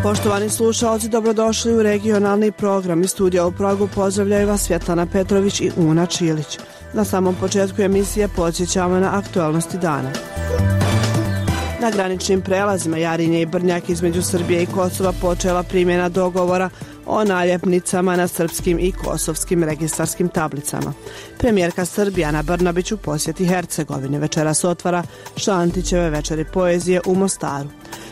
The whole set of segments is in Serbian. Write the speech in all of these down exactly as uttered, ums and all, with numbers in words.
Poštovani slušalci, dobrodošli u regionalni program. Iz studija u Pragu pozdravljaju vas Svjetlana Petrović i Una Čilić. Na samom početku emisije podsjećamo na aktualnosti dana. Na graničnim prelazima Jarinje i Brnjak između Srbije i Kosova počela primjena dogovora o naljepnicama na srpskim i kosovskim registarskim tablicama. Premijerka Srbije Ana Brnabić u posjeti Hercegovine večeras otvara Šantićeve večeri poezije u Mostaru.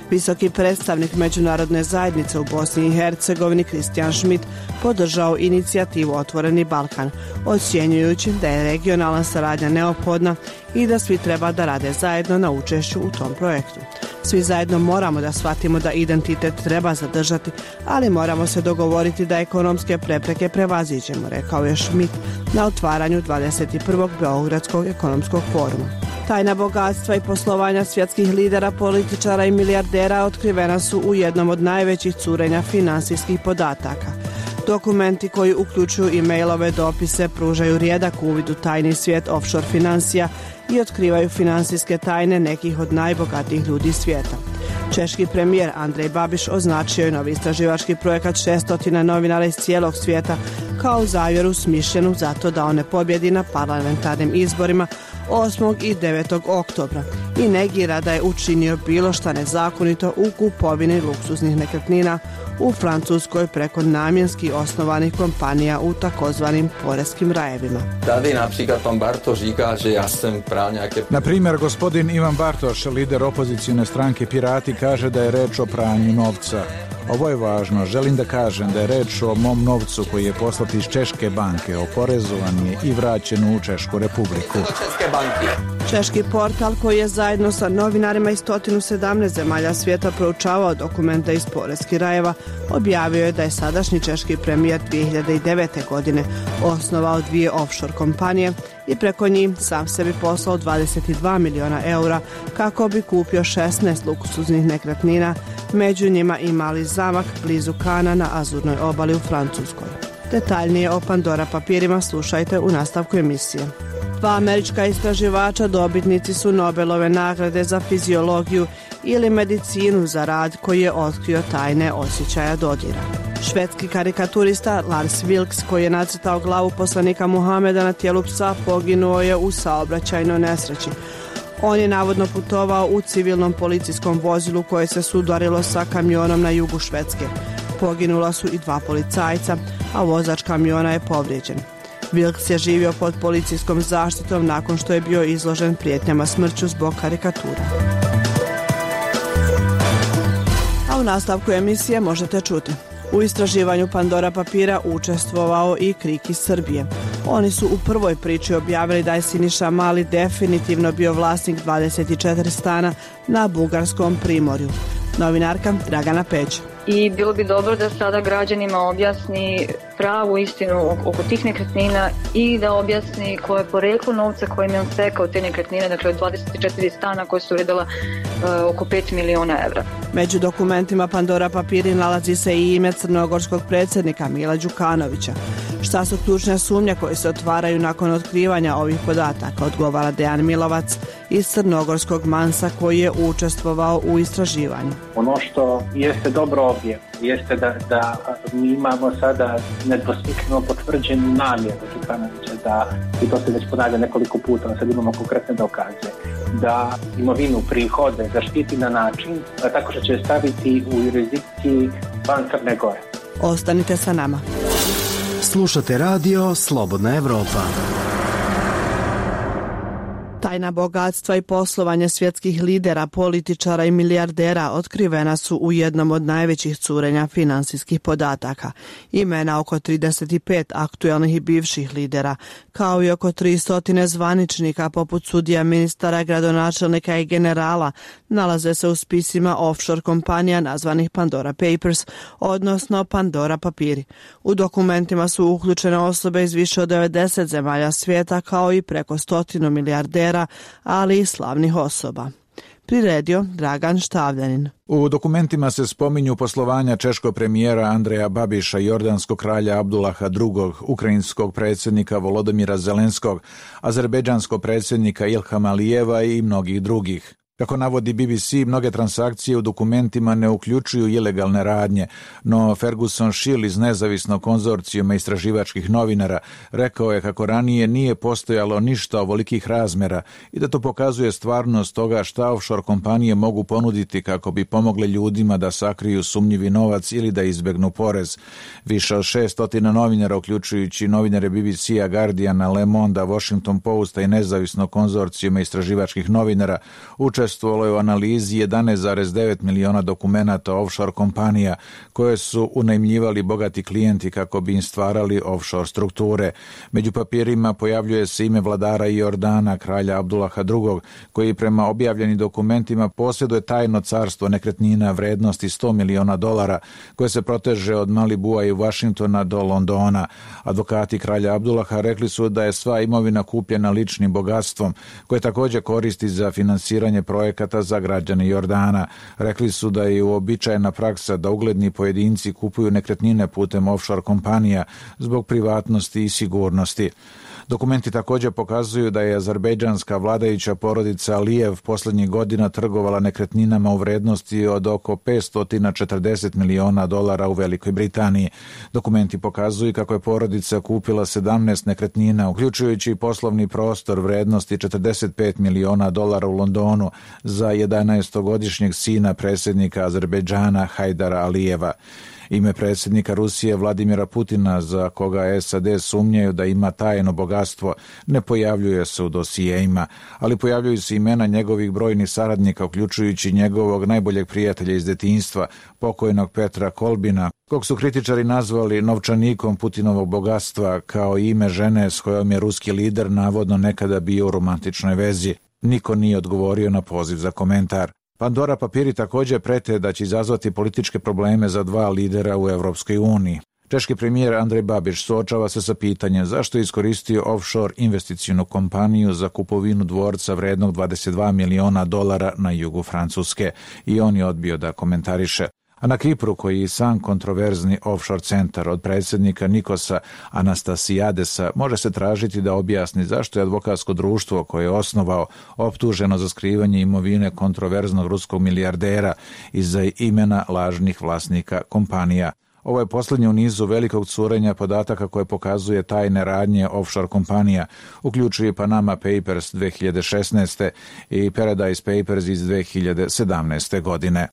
Visoki predstavnik međunarodne zajednice u Bosni i Hercegovini Kristijan Šmit podržao inicijativu Otvoreni Balkan, ocjenjujući da je regionalna saradnja neophodna i da svi treba da rade zajedno na učešću u tom projektu. Svi zajedno moramo da shvatimo da identitet treba zadržati, ali moramo se dogovoriti da ekonomske prepreke prevaziđemo, rekao je Šmit na otvaranju dvadeset prvog Beogradskog ekonomskog foruma. Tajna bogatstva i poslovanja svjetskih lidera, političara i milijardera otkrivena su u jednom od najvećih curenja finansijskih podataka. Dokumenti koji uključuju e-mailove dopise pružaju rijedak uvid u tajni svijet offshore financija i otkrivaju finansijske tajne nekih od najbogatijih ljudi svijeta. Češki premijer Andrej Babiš označio je novi istraživački projekat šestotina novinara iz cijelog svijeta kao zavjeru smišljenu zato da on ne pobjedi na parlamentarnim izborima osmog i devetog oktobra i negira da je učinio bilo šta nezakonito u kupovini luksuznih nekretnina u Francuskoj preko namjenski osnovanih kompanija u takozvanim poreskim rajevima. Tady například pan Bartoš říká, že ja sam pral nejaké... Na primjer, gospodin Ivan Bartoš, lider opozicijne stranke Pirati, kaže da je reč o pranju novca. Ovo je važno. Želim da kažem da je reč o mom novcu koji je poslat iz Češke banke, oporezovan je i vraćen u Češku republiku. Češki portal koji je zajedno sa novinarima iz sto sedamnaest zemalja svijeta proučavao dokumente iz poreskih rajeva, objavio je da je sadašnji češki premijer dvije hiljade devete. godine osnovao dvije offshore kompanije i preko njih sam sebi poslao dvadeset dva miliona eura kako bi kupio šesnaest luksuznih nekretnina, među njima i mali zamak blizu Kana na Azurnoj obali u Francuskoj. Detaljnije o Pandora papirima slušajte u nastavku emisije. Dva američka istraživača dobitnici su Nobelove nagrade za fiziologiju ili medicinu za rad koji je otkrio tajne osjećaja dodira. Švedski karikaturista Lars Vilks, koji je nacrtao glavu poslanika Muhameda na tijelu psa, poginuo je u saobraćajnoj nesreći. On je navodno putovao u civilnom policijskom vozilu koje se sudarilo sa kamionom na jugu Švedske. Poginula su i dva policajca, a vozač kamiona je povrijeđen. Vilks je živio pod policijskom zaštitom nakon što je bio izložen prijetnjama smrću zbog karikatura. A u nastavku emisije možete čuti. U istraživanju Pandora papira učestvovao i Krik iz Srbije. Oni su u prvoj priči objavili da je Siniša Mali definitivno bio vlasnik dvadeset četiri stana na bugarskom primorju. Novinarka Dragana Peć. I bilo bi dobro da sada građanima objasni pravu istinu oko tih nekretnina i da objasni koje je poreklo novca kojim je on stekao te nekretnine, dakle od dvadeset četiri stana koje su vrijedila uh, oko pet miliona evra. Među dokumentima Pandora papiri nalazi se i ime crnogorskog predsjednika Mila Đukanovića. Šta su ključne sumnje koje se otvaraju nakon otkrivanja ovih podataka, odgovara Dejan Milovac iz crnogorskog Mansa koji je učestvovao u istraživanju. Ono što jeste dobro ovdje jeste da, da mi imamo sada nedvosmisleno potvrđenu namjeru Đukanovića da, i to se već ponavlja nekoliko puta, sad imamo konkretne dokaze, da imovinu prihode zaštiti na način da tako što će staviti u jurisdikciji van Crne Gore. Ostanite sa nama. Slušate radio Slobodna Evropa. Tajna bogatstva i poslovanje svjetskih lidera, političara i milijardera otkrivena su u jednom od najvećih curenja finansijskih podataka. Imena oko trideset pet aktuelnih i bivših lidera, kao i oko tristo zvaničnika poput sudija, ministara, gradonačelnika i generala, nalaze se u spisima offshore kompanija nazvanih Pandora Papers, odnosno Pandora papiri. U dokumentima su uključene osobe iz više od devedeset zemalja svijeta, kao i preko stotinu milijardera, ali i slavnih osoba. priredio Dragan Štavljanin. U dokumentima se spominju poslovanja češkog premijera Andreja Babiša, jordanskog kralja Abdullaha drugog, ukrajinskog predsjednika Volodymyra Zelenskog, azerbejdžanskog predsjednika Ilhama Alijeva i mnogih drugih. Kako navodi B B C, mnoge transakcije u dokumentima ne uključuju ilegalne radnje, no Ferguson Schill iz nezavisnog konzorcijuma istraživačkih novinara rekao je kako ranije nije postojalo ništa ovolikih razmjera i da to pokazuje stvarnost toga šta offshore kompanije mogu ponuditi kako bi pomogle ljudima da sakriju sumnjivi novac ili da izbjegnu porez. Više od šeststotina novinara, uključujući novinare B B C-a, Guardiana, Le Mondea, Washington Posta i nezavisnog konzorcijuma istraživačkih novinara uče učestvovalo je u analizi jedanaest zarez devet miliona dokumenata offshore kompanija koje su unajmljivali bogati klijenti kako bi im stvarali offshore strukture. Među papirima pojavljuje se ime vladara Jordana, kralja Abdullaha drugog, koji prema objavljenim dokumentima posjeduje tajno carstvo nekretnina vrednosti sto miliona dolara, koje se proteže od Malibua i Washingtona do Londona. Advokati kralja Abdullaha rekli su da je sva imovina kupljena ličnim bogatstvom, koje također koristi za finansiranje projekata za građane Jordana. Rekli su da je uobičajena praksa da ugledni pojedinci kupuju nekretnine putem offshore kompanija zbog privatnosti i sigurnosti. Dokumenti također pokazuju da je azerbejdžanska vladajuća porodica Alijev posljednjih godina trgovala nekretninama u vrednosti od oko petsto četrdeset miliona dolara u Velikoj Britaniji. Dokumenti pokazuju kako je porodica kupila sedamnaest nekretnina, uključujući poslovni prostor vrednosti četrdeset pet miliona dolara u Londonu za jedanaestogodišnjeg sina predsjednika Azerbejdžana Hajdara Alijeva. Ime predsjednika Rusije Vladimira Putina, za koga S A D sumnjaju da ima tajno bogatstvo, ne pojavljuje se u dosijeima, ali pojavljuju se imena njegovih brojnih saradnika, uključujući njegovog najboljeg prijatelja iz detinjstva, pokojnog Petra Kolbina, kog su kritičari nazvali novčanikom Putinovog bogatstva, kao ime žene s kojom je ruski lider navodno nekada bio u romantičnoj vezi. Niko nije odgovorio na poziv za komentar. Pandora papiri također prete da će izazvati političke probleme za dva lidera u Europskoj uniji. Češki premijer Andrej Babiš suočava se sa pitanjem zašto je iskoristio offshore investicijnu kompaniju za kupovinu dvorca vrednog dvadeset dva miliona dolara na jugu Francuske i on je odbio da komentariše. A na Kipru, koji je sam kontroverzni offshore centar od predsjednika Nikosa Anastasiadesa, može se tražiti da objasni zašto je advokatsko društvo koje je osnovao optuženo za skrivanje imovine kontroverznog ruskog milijardera iza imena lažnih vlasnika kompanija. Ovo je posljednje u nizu velikog curenja podataka koje pokazuje tajne radnje offshore kompanija, uključuje Panama Papers dve hiljade šesnaeste i Paradise Papers iz dve hiljade sedamnaeste godine.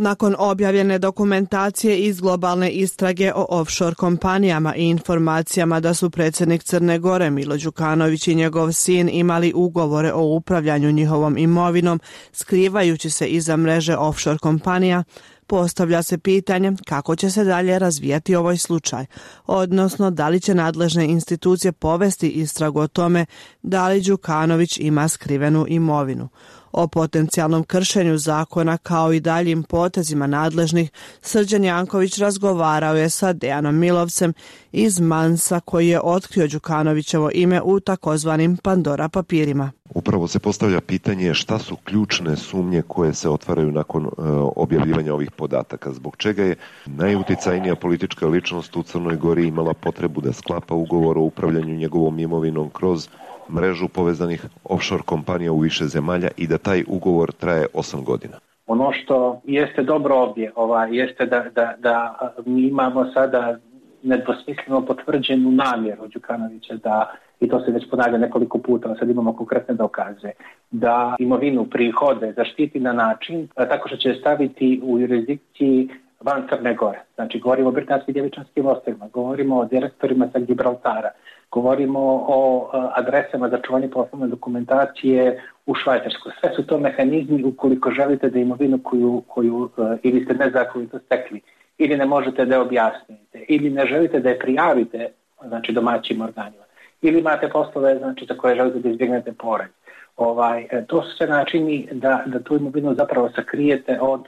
Nakon objavljene dokumentacije iz globalne istrage o offshore kompanijama i informacijama da su predsjednik Crne Gore Milo Đukanović i njegov sin imali ugovore o upravljanju njihovom imovinom, skrivajući se iza mreže offshore kompanija, postavlja se pitanje kako će se dalje razvijati ovaj slučaj, odnosno da li će nadležne institucije povesti istragu o tome da li Đukanović ima skrivenu imovinu. O potencijalnom kršenju zakona kao i daljim potezima nadležnih Srđan Janković razgovarao je sa Dejanom Milovcem iz Mansa koji je otkrio Đukanovićevo ime u takozvanim Pandora papirima. Upravo se postavlja pitanje šta su ključne sumnje koje se otvaraju nakon uh, objavljivanja ovih podataka. Zbog čega je najuticajnija politička ličnost u Crnoj Gori imala potrebu da sklapa ugovor o upravljanju njegovom imovinom kroz mrežu povezanih offshore kompanija u više zemalja i da taj ugovor traje osam godina. Ono što jeste dobro ovdje, ovaj, jeste da, da, da mi imamo sada nedvosmisleno potvrđenu namjeru Đukanovića da, i to se već ponavlja nekoliko puta, sad imamo konkretne dokaze, da imovinu prihode zaštiti na način tako što će staviti u jurisdikciji van Crne Gore. Znači, govorimo o Britanskim Djevičanskim ostrvima, govorimo o direktorima sa Gibraltara, govorimo o adresama za čuvanje poslovne dokumentacije u Švajcarskoj. Sve su to mehanizmi ukoliko želite da imovinu koju, koju ili ste nezakonito stekli, ili ne možete da je objasnite, ili ne želite da je prijavite, znači domaćim organima, ili imate poslove, znači, za koje želite da izbjegnete porez. Ovaj, to su sve načini da, da tu imovinu zapravo sakrijete od,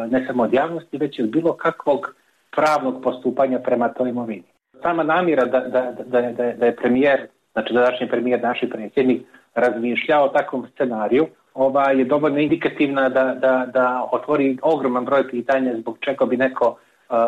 ne samo od javnosti, već i od bilo kakvog pravnog postupanja prema toj imovini. Sama namjera da, da, da, da, da je premijer, znači današnji premijer, naš predsjednik, razmišljao o takvom scenariju, ovaj, je dovoljno indikativna da, da, da otvori ogroman broj pitanja zbog čega bi neko uh,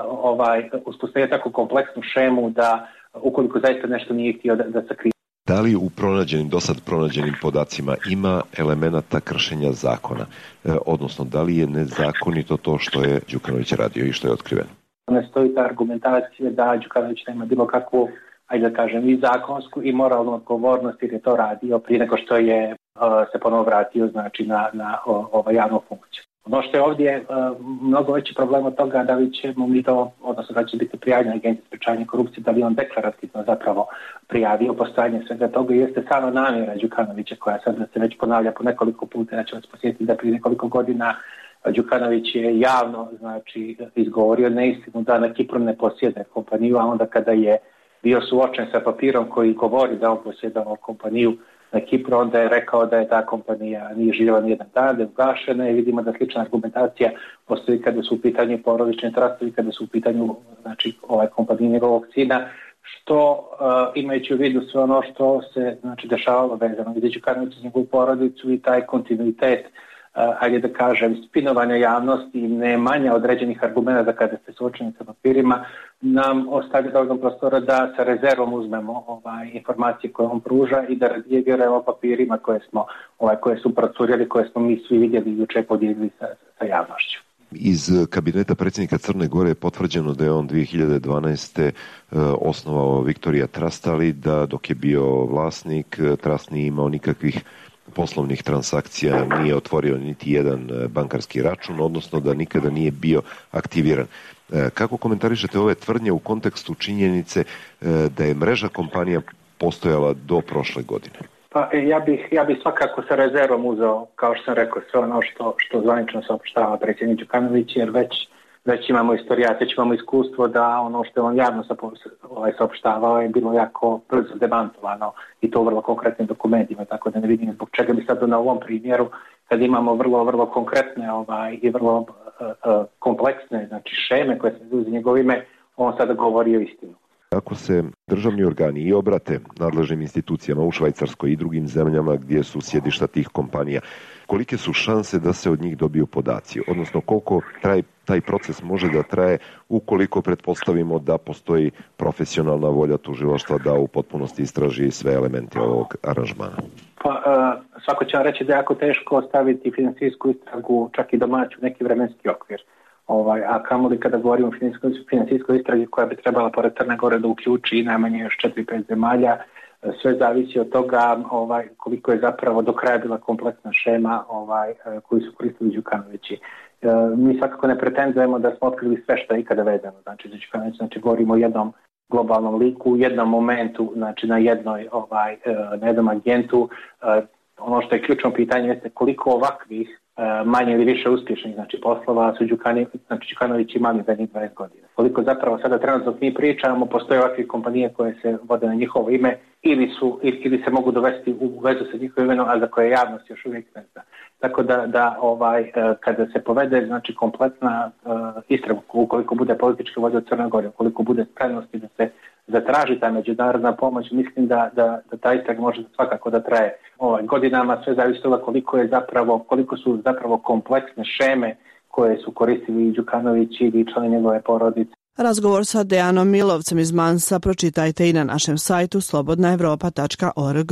ovaj, uspostavio tako kompleksnu šemu da ukoliko zaista nešto nije htio da, da sakrije. Da li u pronađenim, do sad pronađenim podacima ima elemenata kršenja zakona? E, odnosno, da li je nezakonito to što je Đukanović radio i što je otkriveno? Ne stoji ta argumentacija da Đukanović nema bilo kakvu, ajde da kažem, i zakonsku i moralnu odgovornost jer je to radio prije nego što je uh, se ponovo vratio znači, na, na o, ovaj, javnu funkciju. Ono što je ovdje uh, mnogo veći problem od toga da li ćemo mi to, odnosno da će biti prijavljena Agencija za sprečavanje korupcije, da li on deklarativno zapravo prijavio postojanje svega toga i jeste samo namjera Đukanovića koja sad se već ponavlja po nekoliko puta. Ja ću vas posjetiti da prije nekoliko godina Đukanović je javno znači, izgovorio neistinu da na Kipru ne posjede kompaniju, a onda kada je bio suočen sa papirom koji govori da on posjedao kompaniju na Kipru, onda je rekao da je ta kompanija nije živjela ni jedan dan, da je ugašena i vidimo da slična argumentacija postoji kada su u pitanju porodični trastovi, kada su u pitanju znači, ovaj kompanije njegovog sina, što uh, imajući u vidu sve ono što se znači, dešavalo vezano gdje Đukanović iz njegovu porodicu i taj kontinuitet Uh, ajde da kažem, spinovanja javnosti i ne manja određenih argumenta kada ste suočeni sa papirima, nam ostavlja dovoljno prostora da sa rezervom uzmemo ovaj, informacije koje on pruža i da vjerujemo papirima koje smo, ovaj, koje su procurjeli, koje smo mi svi vidjeli i juče podijelili sa, sa javnošću. Iz kabineta predsjednika Crne Gore je potvrđeno da je on dvije hiljade dvanaeste. osnovao Victoria Trust, ali da dok je bio vlasnik, Trust nije imao nikakvih poslovnih transakcija, nije otvorio niti jedan bankarski račun, odnosno da nikada nije bio aktiviran. Kako komentarišete ove tvrdnje u kontekstu činjenice da je mreža kompanija postojala do prošle godine? Pa ja bih, ja bih svakako sa rezervom uzeo, kao što sam rekao, sve ono što, što zvanično saopštava predsjednik Đukanović, jer već, već imamo istorijat, već imamo iskustvo da ono što je on javno ovaj, saopštavao je bilo jako brzo demantovano i to u vrlo konkretnim dokumentima, tako da ne vidim zbog čega bi sad na ovom primjeru, kad imamo vrlo, vrlo konkretne ovaj, i vrlo uh, uh, kompleksne znači, šeme koje se uzme njegovo ime, on sada govori o istinu. Ako se državni organi i obrate nadležnim institucijama u Švajcarskoj i drugim zemljama gdje su sjedišta tih kompanija, kolike su šanse da se od njih dobiju podaci? Odnosno koliko traj, taj proces može da traje ukoliko pretpostavimo da postoji profesionalna volja tužilaštva da u potpunosti istraži sve elemente ovog aranžmana? Pa, uh, svako će vam reći da je jako teško staviti financijsku istragu čak i domaću neki vremenski okvir. Ovaj, a kamoli kada govorimo o financijskoj istragi koja bi trebala pored Crne Gore da uključi najmanje još četiri pet zemalja, sve zavisi od toga ovaj, koliko je zapravo do kraja bila kompleksna šema ovaj, koju su koristili Đukanovići. E, mi svakako ne pretendujemo da smo otkrili sve što je ikada vezano. Znači, Đukanović, znači govorimo o jednom globalnom liku, u jednom momentu, znači na jednoj ovaj, na jednom agentu. E, ono što je ključno pitanje jeste koliko ovakvih manje ili više uspješnih znači poslova su Đukanović, znači Đukanović imali zadnjih dvadeset godina. Koliko zapravo sada trenutno mi pričamo, postoje ovakve kompanije koje se vode na njihovo ime ili su ili se mogu dovesti u vezu sa njihovim imenom, a za koje javnost još uvijek ne zna. Tako da, da ovaj, kada se povede znači kompletna uh, istraga, ukoliko bude politička volja od Crne Gore, ukoliko bude spremnosti da se zatraži ta međunarodna pomoć, mislim da, da, da ta istraga može svakako da traje ovaj, godinama, sve zavisi toga koliko je zapravo, koliko su zapravo kompleksne šeme koje su koristili Đukanović ili članovi njegove porodice. Razgovor sa Dejanom Milovcem iz Mansa pročitajte i na našem sajtu slobodna evropa tačka org.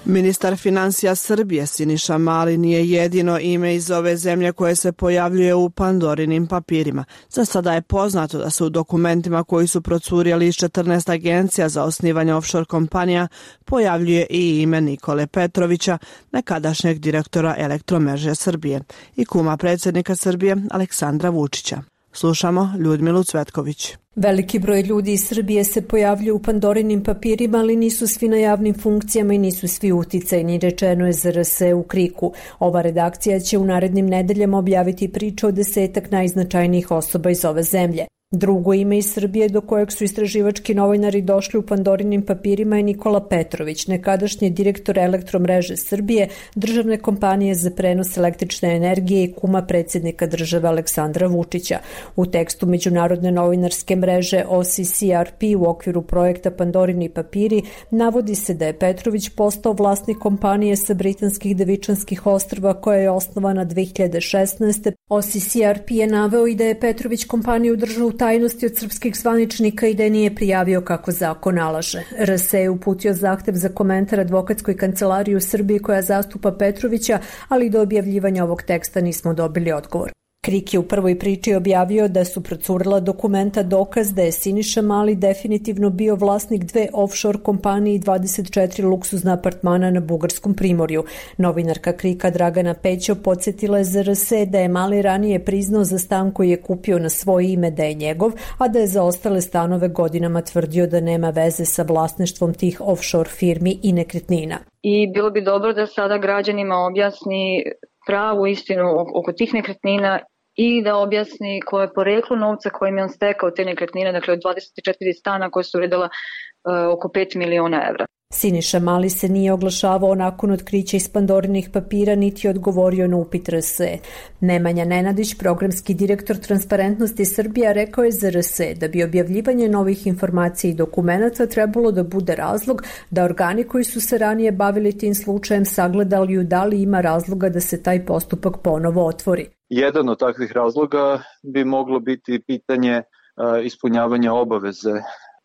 Ministar financija Srbije Siniša Mali nije jedino ime iz ove zemlje koje se pojavljuje u Pandorinim papirima. Za sada je poznato da se u dokumentima koji su procurjeli iz četrnaest agencija za osnivanje offshore kompanija pojavljuje i ime Nikole Petrovića, nekadašnjeg direktora Elektromreže Srbije i kuma predsjednika Srbije Aleksandra Vučića. Slušamo Ljudmilu Cvetković. Veliki broj ljudi iz Srbije se pojavljuje u Pandorinim papirima, ali nisu svi na javnim funkcijama i nisu svi uticajni, rečeno je Z R S u Kriku. Ova redakcija će u narednim nedeljama objaviti priču o desetak najznačajnijih osoba iz ove zemlje. Drugo ime iz Srbije do kojeg su istraživački novinari došli u Pandorinim papirima je Nikola Petrović, nekadašnji direktor Elektromreže Srbije, državne kompanije za prenos električne energije i kuma predsjednika države Aleksandra Vučića. U tekstu međunarodne novinarske mreže O C C R P u okviru projekta Pandorini papiri navodi se da je Petrović postao vlasnik kompanije sa britanskih Devičanskih ostrva koja je osnovana dve hiljade šesnaeste. O C C R P je naveo i da je Petrović kompaniju držao u tajnosti od srpskih zvaničnika i da je nije prijavio kako zakon nalaže. R S je uputio zahtev za komentar advokatskoj kancelariji u Srbiji koja zastupa Petrovića, ali do objavljivanja ovog teksta nismo dobili odgovor. Krik je u prvoj priči objavio da su procurila dokumenta dokaz da je Siniša Mali definitivno bio vlasnik dve offshore kompanije i dvadeset četiri luksuzna apartmana na Bugarskom primorju. Novinarka Krika Dragana Pećo podsjetila je za R S da je Mali ranije priznao za stan koji je kupio na svoje ime da je njegov, a da je za ostale stanove godinama tvrdio da nema veze sa vlasništvom tih offshore firmi i nekretnina. I bilo bi dobro da sada građanima objasni pravu istinu oko tih nekretnina i da objasni koje je poreklo novca kojim je on stekao te nekretnine, dakle od dvadeset četiri stana koje su vredila uh, oko pet miliona evra. Siniša Mali se nije oglašavao nakon otkrića iz Pandorinih papira niti odgovorio na upit R S E. Nemanja Nenadić, programski direktor Transparentnosti Srbija, rekao je za R S E da bi objavljivanje novih informacija i dokumenata trebalo da bude razlog da organi koji su se ranije bavili tim slučajem sagledali da li ima razloga da se taj postupak ponovo otvori. Jedan od takvih razloga bi moglo biti pitanje uh, ispunjavanja obaveze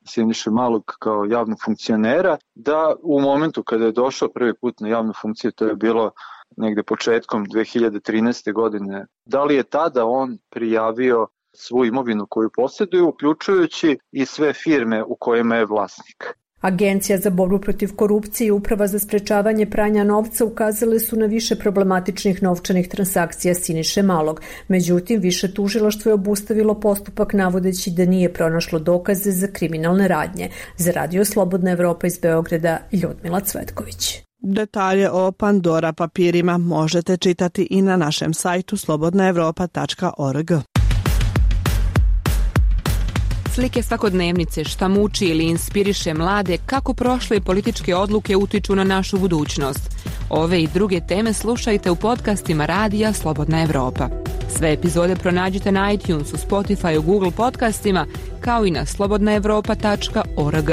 Siniše Malog kao javnog funkcionera, da u momentu kada je došao prvi put na javnu funkciju, to je bilo negde početkom dve hiljade trinaeste. godine, da li je tada on prijavio svu imovinu koju posjeduje, uključujući i sve firme u kojima je vlasnik. Agencija za borbu protiv korupcije i Uprava za sprečavanje pranja novca ukazale su na više problematičnih novčanih transakcija Siniše Malog. Međutim, više tužilaštvo je obustavilo postupak navodeći da nije pronašlo dokaze za kriminalne radnje. Za Radio Slobodna Evropa iz Beograda, Ljudmila Cvetković. Detalje o Pandora papirima možete čitati i na našem sajtu slobodna evropa tačka org. Slike svakodnevnice, šta muči ili inspiriše mlade, kako prošle političke odluke utiču na našu budućnost. Ove i druge teme slušajte u podcastima Radija Slobodna Evropa. Sve epizode pronađite na iTunesu, Spotifyu, Google podcastima, kao i na slobodna evropa tačka org.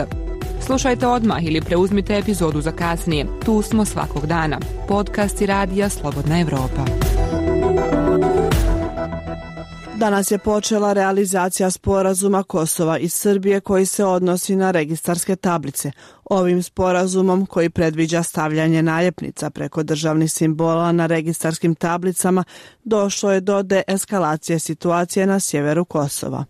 Slušajte odmah ili preuzmite epizodu za kasnije. Tu smo svakog dana. Podcasti Radija Slobodna Evropa. Danas je počela realizacija sporazuma Kosova i Srbije koji se odnosi na registarske tablice. Ovim sporazumom, koji predviđa stavljanje naljepnica preko državnih simbola na registarskim tablicama, došlo je do deeskalacije situacije na sjeveru Kosova.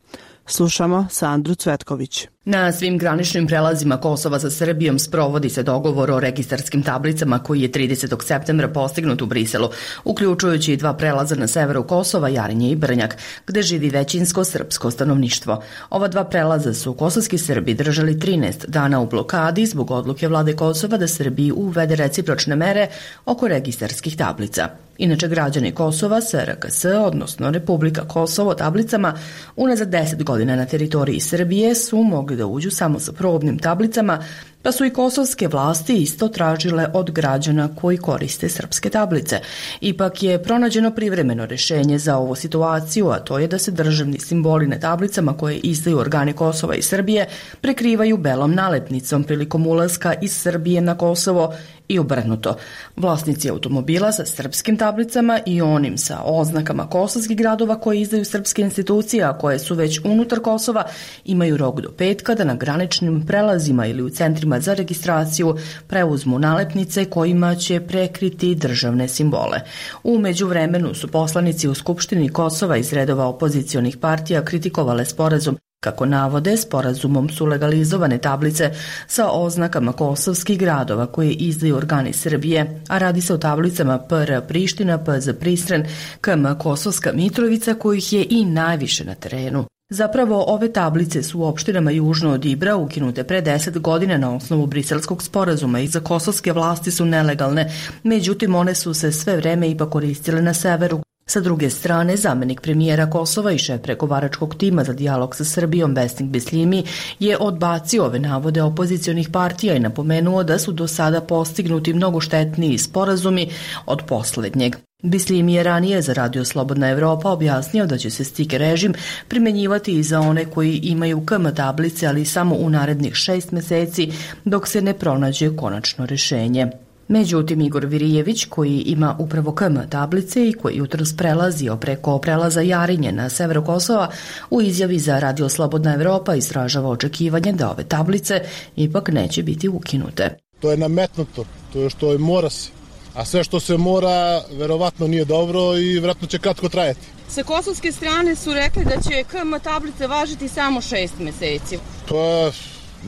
Slušamo Sandru Cvetković. Na svim graničnim prelazima Kosova sa Srbijom sprovodi se dogovor o registarskim tablicama koji je tridesetog septembra postignut u Briselu, uključujući i dva prelaza na severu Kosova, Jarinje i Brnjak, gde živi većinsko srpsko stanovništvo. Ova dva prelaza su kosovski Srbi držali trinaest dana u blokadi zbog odluke vlade Kosova da Srbiji uvede recipročne mere oko registarskih tablica. Inače, građani Kosova s R K S, odnosno Republika Kosovo, tablicama unazad deset godina na teritoriji Srbije su mogli da uđu samo sa probnim tablicama, pa su i kosovske vlasti isto tražile od građana koji koriste srpske tablice. Ipak je pronađeno privremeno rešenje za ovu situaciju, a to je da se državni simboli na tablicama koje izdaju organi Kosova i Srbije prekrivaju belom nalepnicom prilikom ulaska iz Srbije na Kosovo i obrnuto. Vlasnici automobila sa srpskim tablicama i onim sa oznakama kosovskih gradova koje izdaju srpske institucije, a koje su već unutar Kosova, imaju rok do petka da na graničnim prelazima ili u centrima za registraciju preuzmu nalepnice kojima će prekriti državne simbole. U međuvremenu su poslanici u Skupštini Kosova iz redova opozicionih partija kritikovale sporazum. Kako navode, sporazumom su legalizovane tablice sa oznakama kosovskih gradova koje izdaju organi Srbije, a radi se o tablicama P R Priština, P Z Pristren, K M Kosovska Mitrovica, kojih je i najviše na terenu. Zapravo, ove tablice su u opštinama južno od Ibra ukinute pre deset godina na osnovu briselskog sporazuma i za kosovske vlasti su nelegalne, međutim one su se sve vreme ipak koristile na severu. Sa druge strane, zamenik premijera Kosova i šef pregovaračkog tima za dijalog sa Srbijom Besnik Bislimi je odbacio ove navode opozicionih partija i napomenuo da su do sada postignuti mnogo štetniji sporazumi od poslednjeg. Bislimi je ranije za Radio Slobodna Evropa objasnio da će se stiker režim primenjivati i za one koji imaju K M tablice, ali samo u narednih šest meseci dok se ne pronađe konačno rešenje. Međutim, Igor Virijević, koji ima upravo K M tablice i koji jutros prelazio preko prelaza Jarinje na severu Kosova, u izjavi za Radio Slobodna Evropa izražava očekivanje da ove tablice ipak neće biti ukinute. To je nametnuto, to je što je mora se, a sve što se mora verovatno nije dobro i vjerojatno će kratko trajati. Sa kosovske strane su rekli da će K M tablice važiti samo šest meseci. Pa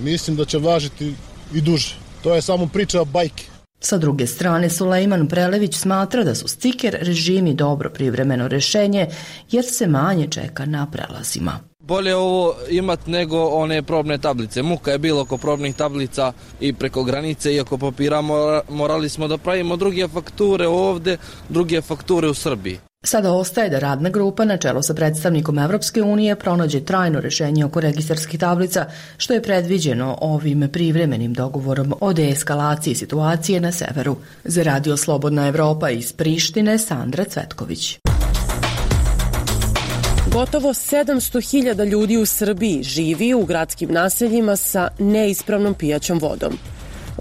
mislim da će važiti i duže. To je samo priča bajke. Sa druge strane, Sulejman Prelević smatra da su stiker režimi dobro privremeno rešenje jer se manje čeka na prelazima. Bolje ovo imati nego one probne tablice. Muka je bilo oko probnih tablica i preko granice i oko papira morali smo da pravimo druge fakture ovde, druge fakture u Srbiji. Sada ostaje da radna grupa na čelu sa predstavnikom Evropske unije pronađe trajno rešenje oko registarskih tablica, što je predviđeno ovim privremenim dogovorom o deeskalaciji situacije na severu. Za Radio Slobodna Evropa iz Prištine, Sandra Cvetković. Gotovo sedamsto hiljada ljudi u Srbiji živi u gradskim naseljima sa neispravnom pijaćom vodom.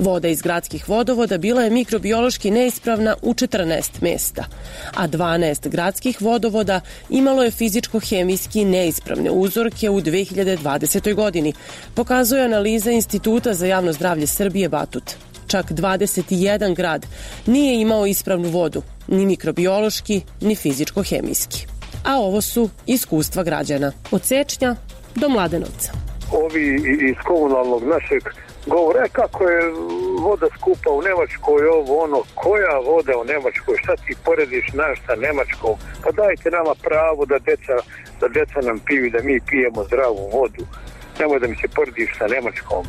Voda iz gradskih vodovoda bila je mikrobiološki neispravna u četrnaest mesta, a dvanaest gradskih vodovoda imalo je fizičko-hemijski neispravne uzorke u dve hiljade dvadesetoj. godini, pokazuje analiza Instituta za javno zdravlje Srbije Batut. Čak dvadeset jedan grad nije imao ispravnu vodu, ni mikrobiološki, ni fizičko-hemijski. A ovo su iskustva građana od Sečnja do Mladenovca. Ovi iz komunalnog našeg govore kako je voda skupa u Nemačkoj, ovo ono, koja voda u Nemačkoj, šta ti porediš naš sa Nemačkom, pa dajte nama pravo da deca, da deca nam piju, da mi pijemo zdravu vodu, nemoj da mi se porediš sa Nemačkom.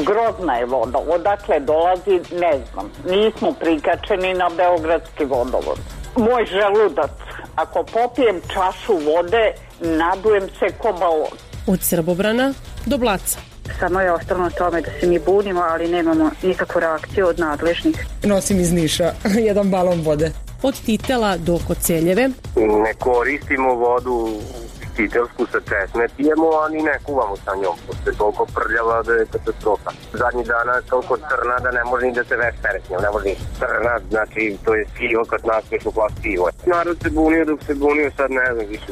Grozna je voda, odakle dolazi ne znam, nismo prikačeni na beogradski vodovod. Moj želudac, ako popijem čašu vode, nadujem se ko balon. Od Srbobrana do Blaca. Samo je ostalo na tome da se mi bunimo, ali nemamo nikakvu reakciju od nadležnih. Nosim iz Niša jedan balon vode. Od Titela do Koceljeve. Ne koristimo vodu titelsku sa česme, pijemo, ali ne kuvamo sa njom. Pošto je toliko prljava da je katastrofa. Zadnji dana je toliko crna da ne može ni da se veš peretnjom. Ne može ni crna, znači to je sivo kad naspješ u glas sivo. Narod se bunio dok se bunio, sad ne znam više.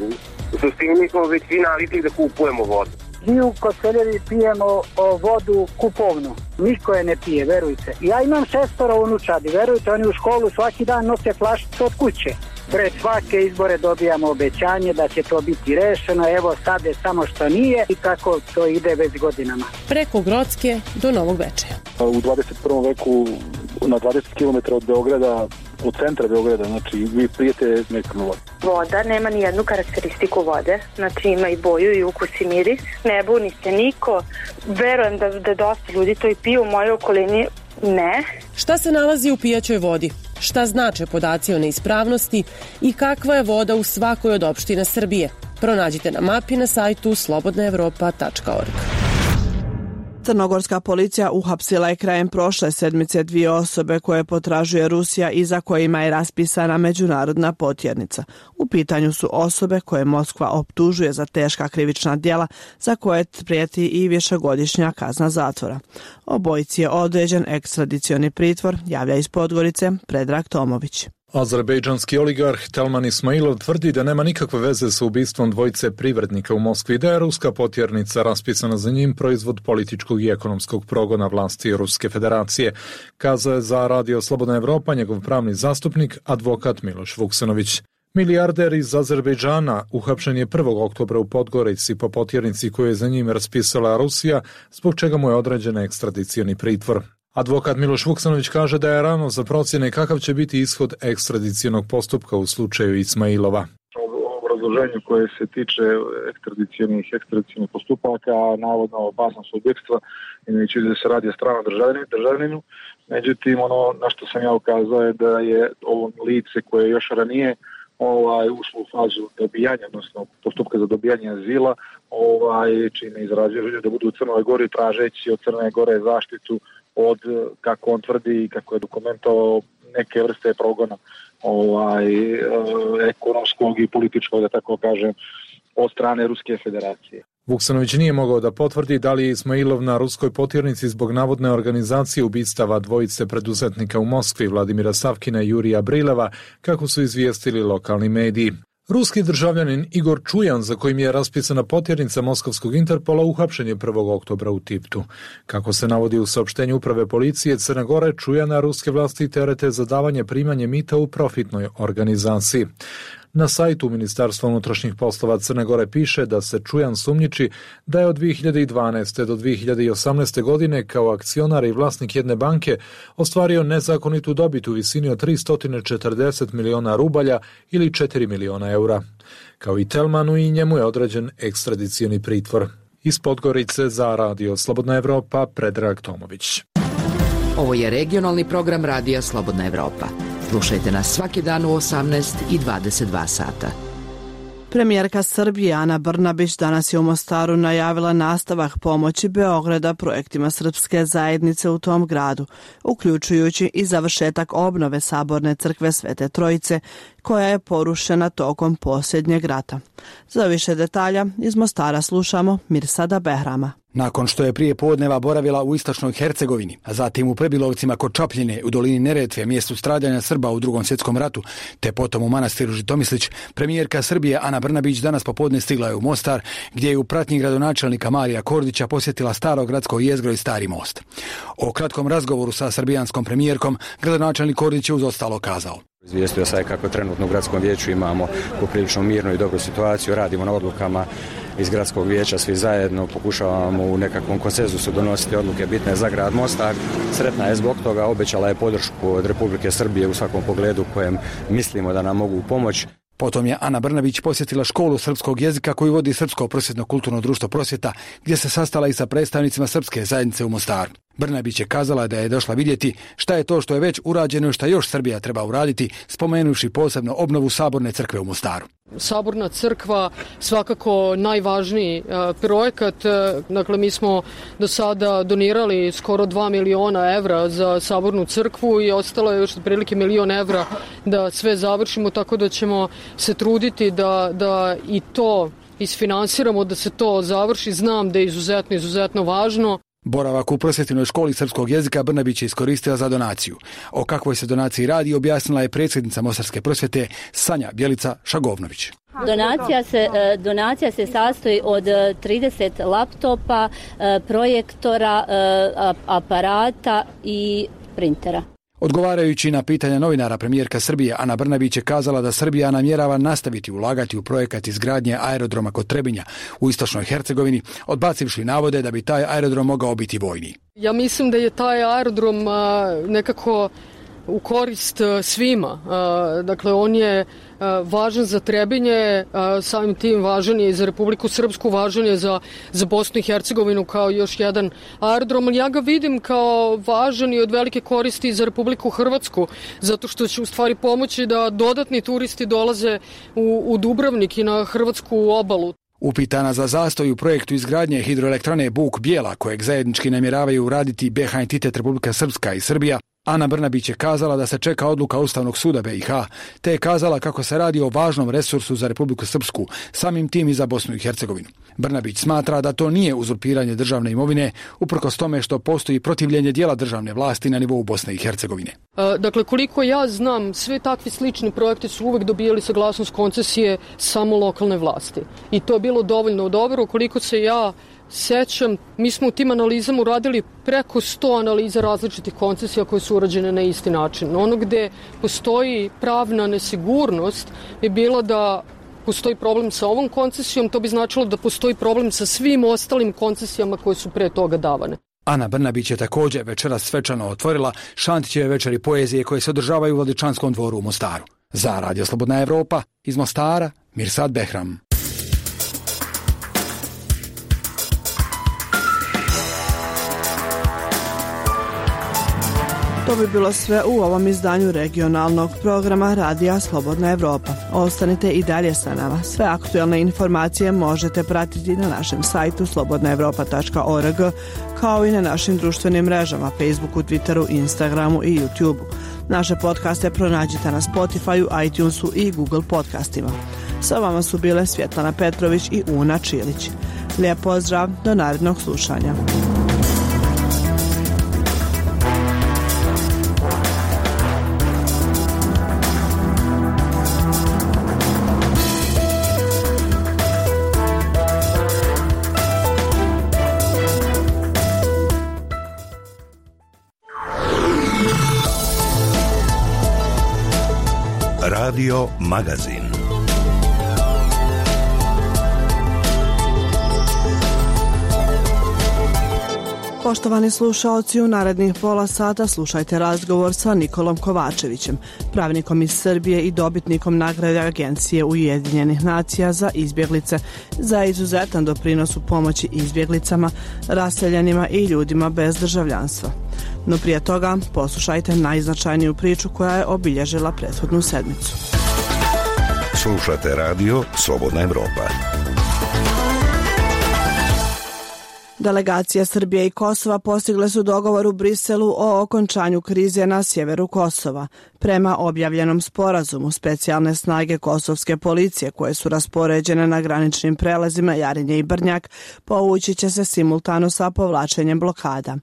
U suštini mi smo već svi navikli da kupujemo vodu. Mi u Koceljevi pijemo o, vodu kupovnu. Niko je ne pije, verujte. Ja imam šestoro unučadi, verujte, oni u školu svaki dan nose flašice od kuće. Pred svake izbore dobijamo obećanje da će to biti rešeno, evo sad je samo što nije i tako to ide već godinama. Preko Grocke do Novog Bečeja. U dvadeset prvom veku na dvadeset kilometara od Beograda, od centra Beograda, znači vi pijete nekom vodu. Voda nema ni jednu karakteristiku vode, znači ima i boju i ukus i miris, ne buni se niko, verujem da, da dosta ljudi to i piju u mojoj okolini, ne. Šta se nalazi u pijaćoj vodi? Šta znače podaci o neispravnosti i kakva je voda u svakoj od opština Srbije? Pronađite na mapi na sajtu slobodna evropa tačka org. Crnogorska policija uhapsila je krajem prošle sedmice dvije osobe koje potražuje Rusija i za kojima je raspisana međunarodna potjernica. U pitanju su osobe koje Moskva optužuje za teška krivična djela za koje prijeti i višegodišnja kazna zatvora. Obojici je određen ekstradicioni pritvor, javlja iz Podgorice Predrag Tomović. Azerbejdžanski oligarh Telman Ismailov tvrdi da nema nikakve veze sa ubistvom dvojice privrednika u Moskvi, da je ruska potjernica raspisana za njim proizvod političkog i ekonomskog progona vlasti Ruske federacije, kazao je za Radio Slobodna Evropa njegov pravni zastupnik, advokat Miloš Vuksanović. Milijarder iz Azerbejdžana uhapšen je prvog oktobra u Podgorici po potjernici koju je za njim raspisala Rusija, zbog čega mu je određen ekstradicioni pritvor. Advokat Miloš Vuksanović kaže da je rano za procjene kakav će biti ishod ekstradicionog postupka u slučaju Ismailova. U obrazloženju koje se tiče ekstradicionih ekstradicionih postupaka, navodno opasnost od bjegstva, imajući da se radi o stranom državljaninu, međutim ono na što sam ja ukazao je da je ovo lice koje je još ranije ovaj, ušlo u fazu dobijanja, odnosno postupka za dobijanje azila, ovaj, čime izražuju da budu u Crnoj Gori tražeći od Crne Gore zaštitu od, kako on tvrdi i kako je dokumentovao, neke vrste progona ovaj, ekonomskog i političkog, da tako kažem, od strane Ruske federacije. Vuksanović nije mogao da potvrdi da li je Ismailov na ruskoj potjernici zbog navodne organizacije ubistava dvojice preduzetnika u Moskvi, Vladimira Savkina i Jurija Brileva, kako su izvijestili lokalni mediji. Ruski državljanin Igor Čujan, za kojim je raspisana potjernica Moskovskog Interpola, uhapšen je prvog oktobra u Tivtu. Kako se navodi u saopštenju uprave policije Crne Gore, Čujana ruske vlasti terete za davanje primanje mita u profitnoj organizaciji. Na sajtu Ministarstva unutrašnjih poslova Crne Gore piše da se Čujan sumnjiči da je od dvije hiljade dvanaeste do dvije hiljade osamnaeste godine kao akcionar i vlasnik jedne banke ostvario nezakonitu dobit u visini od tristo četrdeset miliona rubalja ili četiri miliona eura. Kao i Telmanu, i njemu je određen ekstradicioni pritvor. Iz Podgorice za Radio Slobodna Evropa, Predrag Tomović. Ovo je regionalni program Radija Slobodna Evropa. Slušajte nas svaki dan u osamnaest i dvadeset dva sata. Premijerka Srbije Ana Brnabić danas je u Mostaru najavila nastavak pomoći Beograda projektima srpske zajednice u tom gradu, uključujući i završetak obnove Saborne crkve Svete Trojice, koja je porušena tokom posljednjeg rata. Za više detalja iz Mostara slušamo Mirsada Behrama. Nakon što je prije podneva boravila u istočnoj Hercegovini, a zatim u Prebilovcima kod Čapljine u dolini Neretve, mjestu stradanja Srba u Drugom svjetskom ratu, te potom u manastiru Žitomislić, premijerka Srbije Ana Brnabić danas popodne stigla je u Mostar, gdje je u pratnji gradonačelnika Marija Kordića posjetila staro gradsko jezgro i Stari most. O kratkom razgovoru sa srbijanskom premijerkom gradonačelnik Kordić je uz ostalo kazao: Izvijestio sam kako trenutno u gradskom vijeću imamo poprilično mirnu i dobru situaciju, radimo na odlukama iz gradskog vijeća, svi zajedno pokušavamo u nekakvom konsenzusu donositi odluke bitne za grad Mostar. Sretna je zbog toga, obećala je podršku od Republike Srbije u svakom pogledu kojem mislimo da nam mogu pomoći. Potom je Ana Brnabić posjetila školu srpskog jezika koju vodi Srpsko prosvjetno kulturno društvo Prosvjeta, gdje se sastala i sa predstavnicima srpske zajednice u Mostaru. Brnabić je kazala da je došla vidjeti šta je to što je već urađeno i šta još Srbija treba uraditi, spomenuvši posebno obnovu Saborne crkve u Mostaru. Saborna crkva svakako najvažniji uh, projekat. Dakle, mi smo do sada donirali skoro dva miliona evra za Sabornu crkvu i ostalo je još otprilike milion evra da sve završimo, tako da ćemo se truditi da, da i to isfinansiramo, da se to završi. Znam da je izuzetno, izuzetno važno. Boravak u prosvjetinoj školi srpskog jezika Brnabić je iskoristila za donaciju. O kakvoj se donaciji radi objasnila je predsjednica Mostarske prosvjete Sanja Bjelica Šagovnović. Donacija se, donacija se sastoji od trideset laptopa, projektora, aparata i printera. Odgovarajući na pitanja novinara, premijerka Srbije Ana Brnabić je kazala da Srbija namjerava nastaviti ulagati u projekat izgradnje aerodroma kod Trebinja u istočnoj Hercegovini, odbacivši navode da bi taj aerodrom mogao biti vojni. Ja mislim da je taj aerodrom nekako u korist svima. Dakle, on je važan za Trebinje, samim tim važan je i za Republiku Srpsku, važan je za, za Bosnu i Hercegovinu kao još jedan aerodrom. Ja ga vidim kao važan i od velike koristi za Republiku Hrvatsku, zato što će u stvari pomoći da dodatni turisti dolaze u, u Dubrovnik i na hrvatsku obalu. Upitana za zastoj u projektu izgradnje hidroelektrane Buk Bijela, kojeg zajednički namjeravaju uraditi B H entitet Republika Srpska i Srbija, Ana Brnabić je kazala da se čeka odluka Ustavnog suda B i H, te je kazala kako se radi o važnom resursu za Republiku Srpsku, samim tim i za Bosnu i Hercegovinu. Brnabić smatra da to nije uzurpiranje državne imovine, uprkos tome što postoji protivljenje dijela državne vlasti na nivou Bosne i Hercegovine. Dakle, koliko ja znam, sve takvi slični projekti su uvek dobijali saglasnost koncesije samo lokalne vlasti. I to je bilo dovoljno dobro. Koliko se ja sećam, mi smo u tim analizama uradili preko sto analiza različitih koncesija koje su urađene na isti način. Ono gde postoji pravna nesigurnost je bilo da postoji problem sa ovom koncesijom, to bi značilo da postoji problem sa svim ostalim koncesijama koje su pre toga davane. Ana Brnabić je također večeras svečano otvorila Šantićeve večeri poezije koje se održavaju u Vladičanskom dvoru u Mostaru. Za Radio Slobodna Evropa, iz Mostara, Mirsad Behram. To bi bilo sve u ovom izdanju regionalnog programa Radija Slobodna Evropa. Ostanite i dalje sa nama. Sve aktuelne informacije možete pratiti na našem sajtu slobodna evropa tačka org, kao i na našim društvenim mrežama Facebooku, Twitteru, Instagramu i YouTubeu. Naše podcaste pronađite na Spotifyu, iTunesu i Google podcastima. Sa vama su bile Svjetlana Petrović i Una Čilić. Lijep pozdrav, do narednog slušanja. Radio Magazin. Poštovani slušaoci, u narednih pola sata slušajte razgovor sa Nikolom Kovačevićem, pravnikom iz Srbije i dobitnikom nagrade Agencije Ujedinjenih nacija za izbjeglice za izuzetan doprinos u pomoći izbjeglicama, raseljenima i ljudima bez državljanstva. No prije toga poslušajte najznačajniju priču koja je obilježila prethodnu sedmicu. Slušate radio Slobodna Evropa. Delegacije Srbije i Kosova postigle su dogovor u Briselu o okončanju krize na sjeveru Kosova. Prema objavljenom sporazumu, specijalne snage kosovske policije koje su raspoređene na graničnim prelazima Jarinje i Brnjak povući će se simultano sa povlačenjem blokada.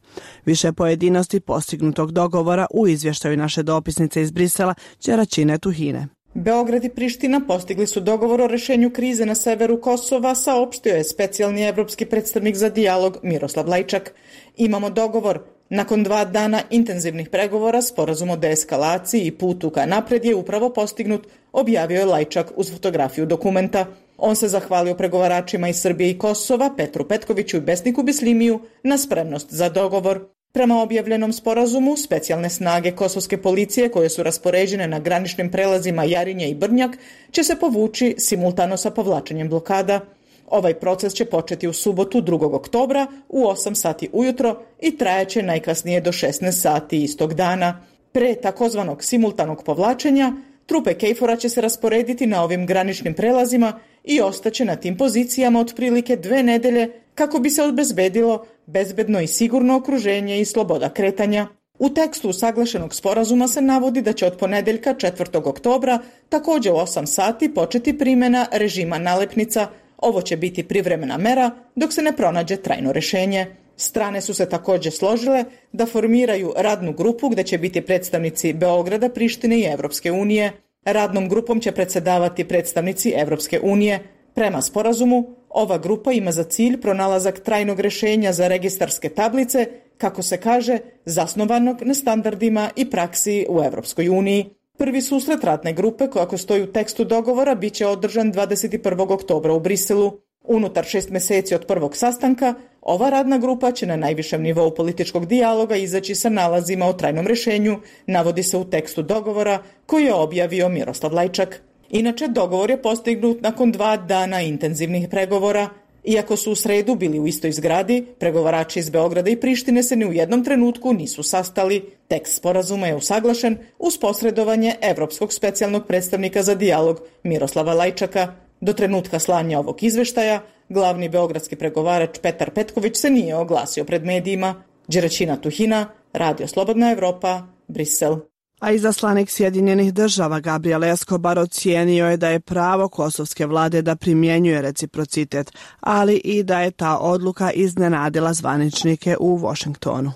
Više pojedinosti postignutog dogovora u izvještaju naše dopisnice iz Brisela Đeračine Tuhine. Beograd i Priština postigli su dogovor o rešenju krize na severu Kosova, saopštio je specijalni evropski predstavnik za dijalog Miroslav Lajčak. Imamo dogovor. Nakon dva dana intenzivnih pregovora, sporazum o deeskalaciji i putu ka napred je upravo postignut, objavio je Lajčak uz fotografiju dokumenta. On se zahvalio pregovaračima iz Srbije i Kosova, Petru Petkoviću i Besniku Bislimiju, na spremnost za dogovor. Prema objavljenom sporazumu, specijalne snage kosovske policije koje su raspoređene na graničnim prelazima Jarinje i Brnjak će se povući simultano sa povlačenjem blokada. Ovaj proces će početi u subotu drugog oktobra u osam sati ujutro i trajaće najkasnije do šesnaest sati istog dana. Pre takozvanog simultanog povlačenja, trupe Kejfora će se rasporediti na ovim graničnim prelazima i ostaće na tim pozicijama otprilike dve nedelje kako bi se obezbedilo bezbedno i sigurno okruženje i sloboda kretanja. U tekstu usaglašenog sporazuma se navodi da će od ponedeljka četvrtog oktobra također u osam sati početi primjena režima nalepnica. Ovo će biti privremena mera dok se ne pronađe trajno rešenje. Strane su se također složile da formiraju radnu grupu gdje će biti predstavnici Beograda, Prištine i Evropske unije. Radnom grupom će predsjedavati predstavnici Evropske unije. Prema sporazumu, ova grupa ima za cilj pronalazak trajnog rešenja za registarske tablice, kako se kaže, zasnovanog na standardima i praksi u Evropskoj uniji. Prvi susret radne grupe, kako stoji u tekstu dogovora, bit će održan dvadeset prvog oktobra u Briselu. Unutar šest mjeseci od prvog sastanka, ova radna grupa će na najvišem nivou političkog dijaloga izaći sa nalazima o trajnom rešenju, navodi se u tekstu dogovora koji je objavio Miroslav Lajčak. Inače, dogovor je postignut nakon dva dana intenzivnih pregovora. Iako su u sredu bili u istoj zgradi, pregovarači iz Beograda i Prištine se ni u jednom trenutku nisu sastali. Tekst sporazuma je usaglašen uz posredovanje Evropskog specijalnog predstavnika za dijalog Miroslava Lajčaka. Do trenutka slanja ovog izveštaja, glavni beogradski pregovarač Petar Petković se nije oglasio pred medijima. Đeračina Tuhina, Radio Slobodna Evropa, Brisel. A izaslanik Sjedinjenih država Gabriel Escobar ocijenio je da je pravo kosovske vlade da primjenjuje reciprocitet, ali i da je ta odluka iznenadila zvaničnike u Washingtonu.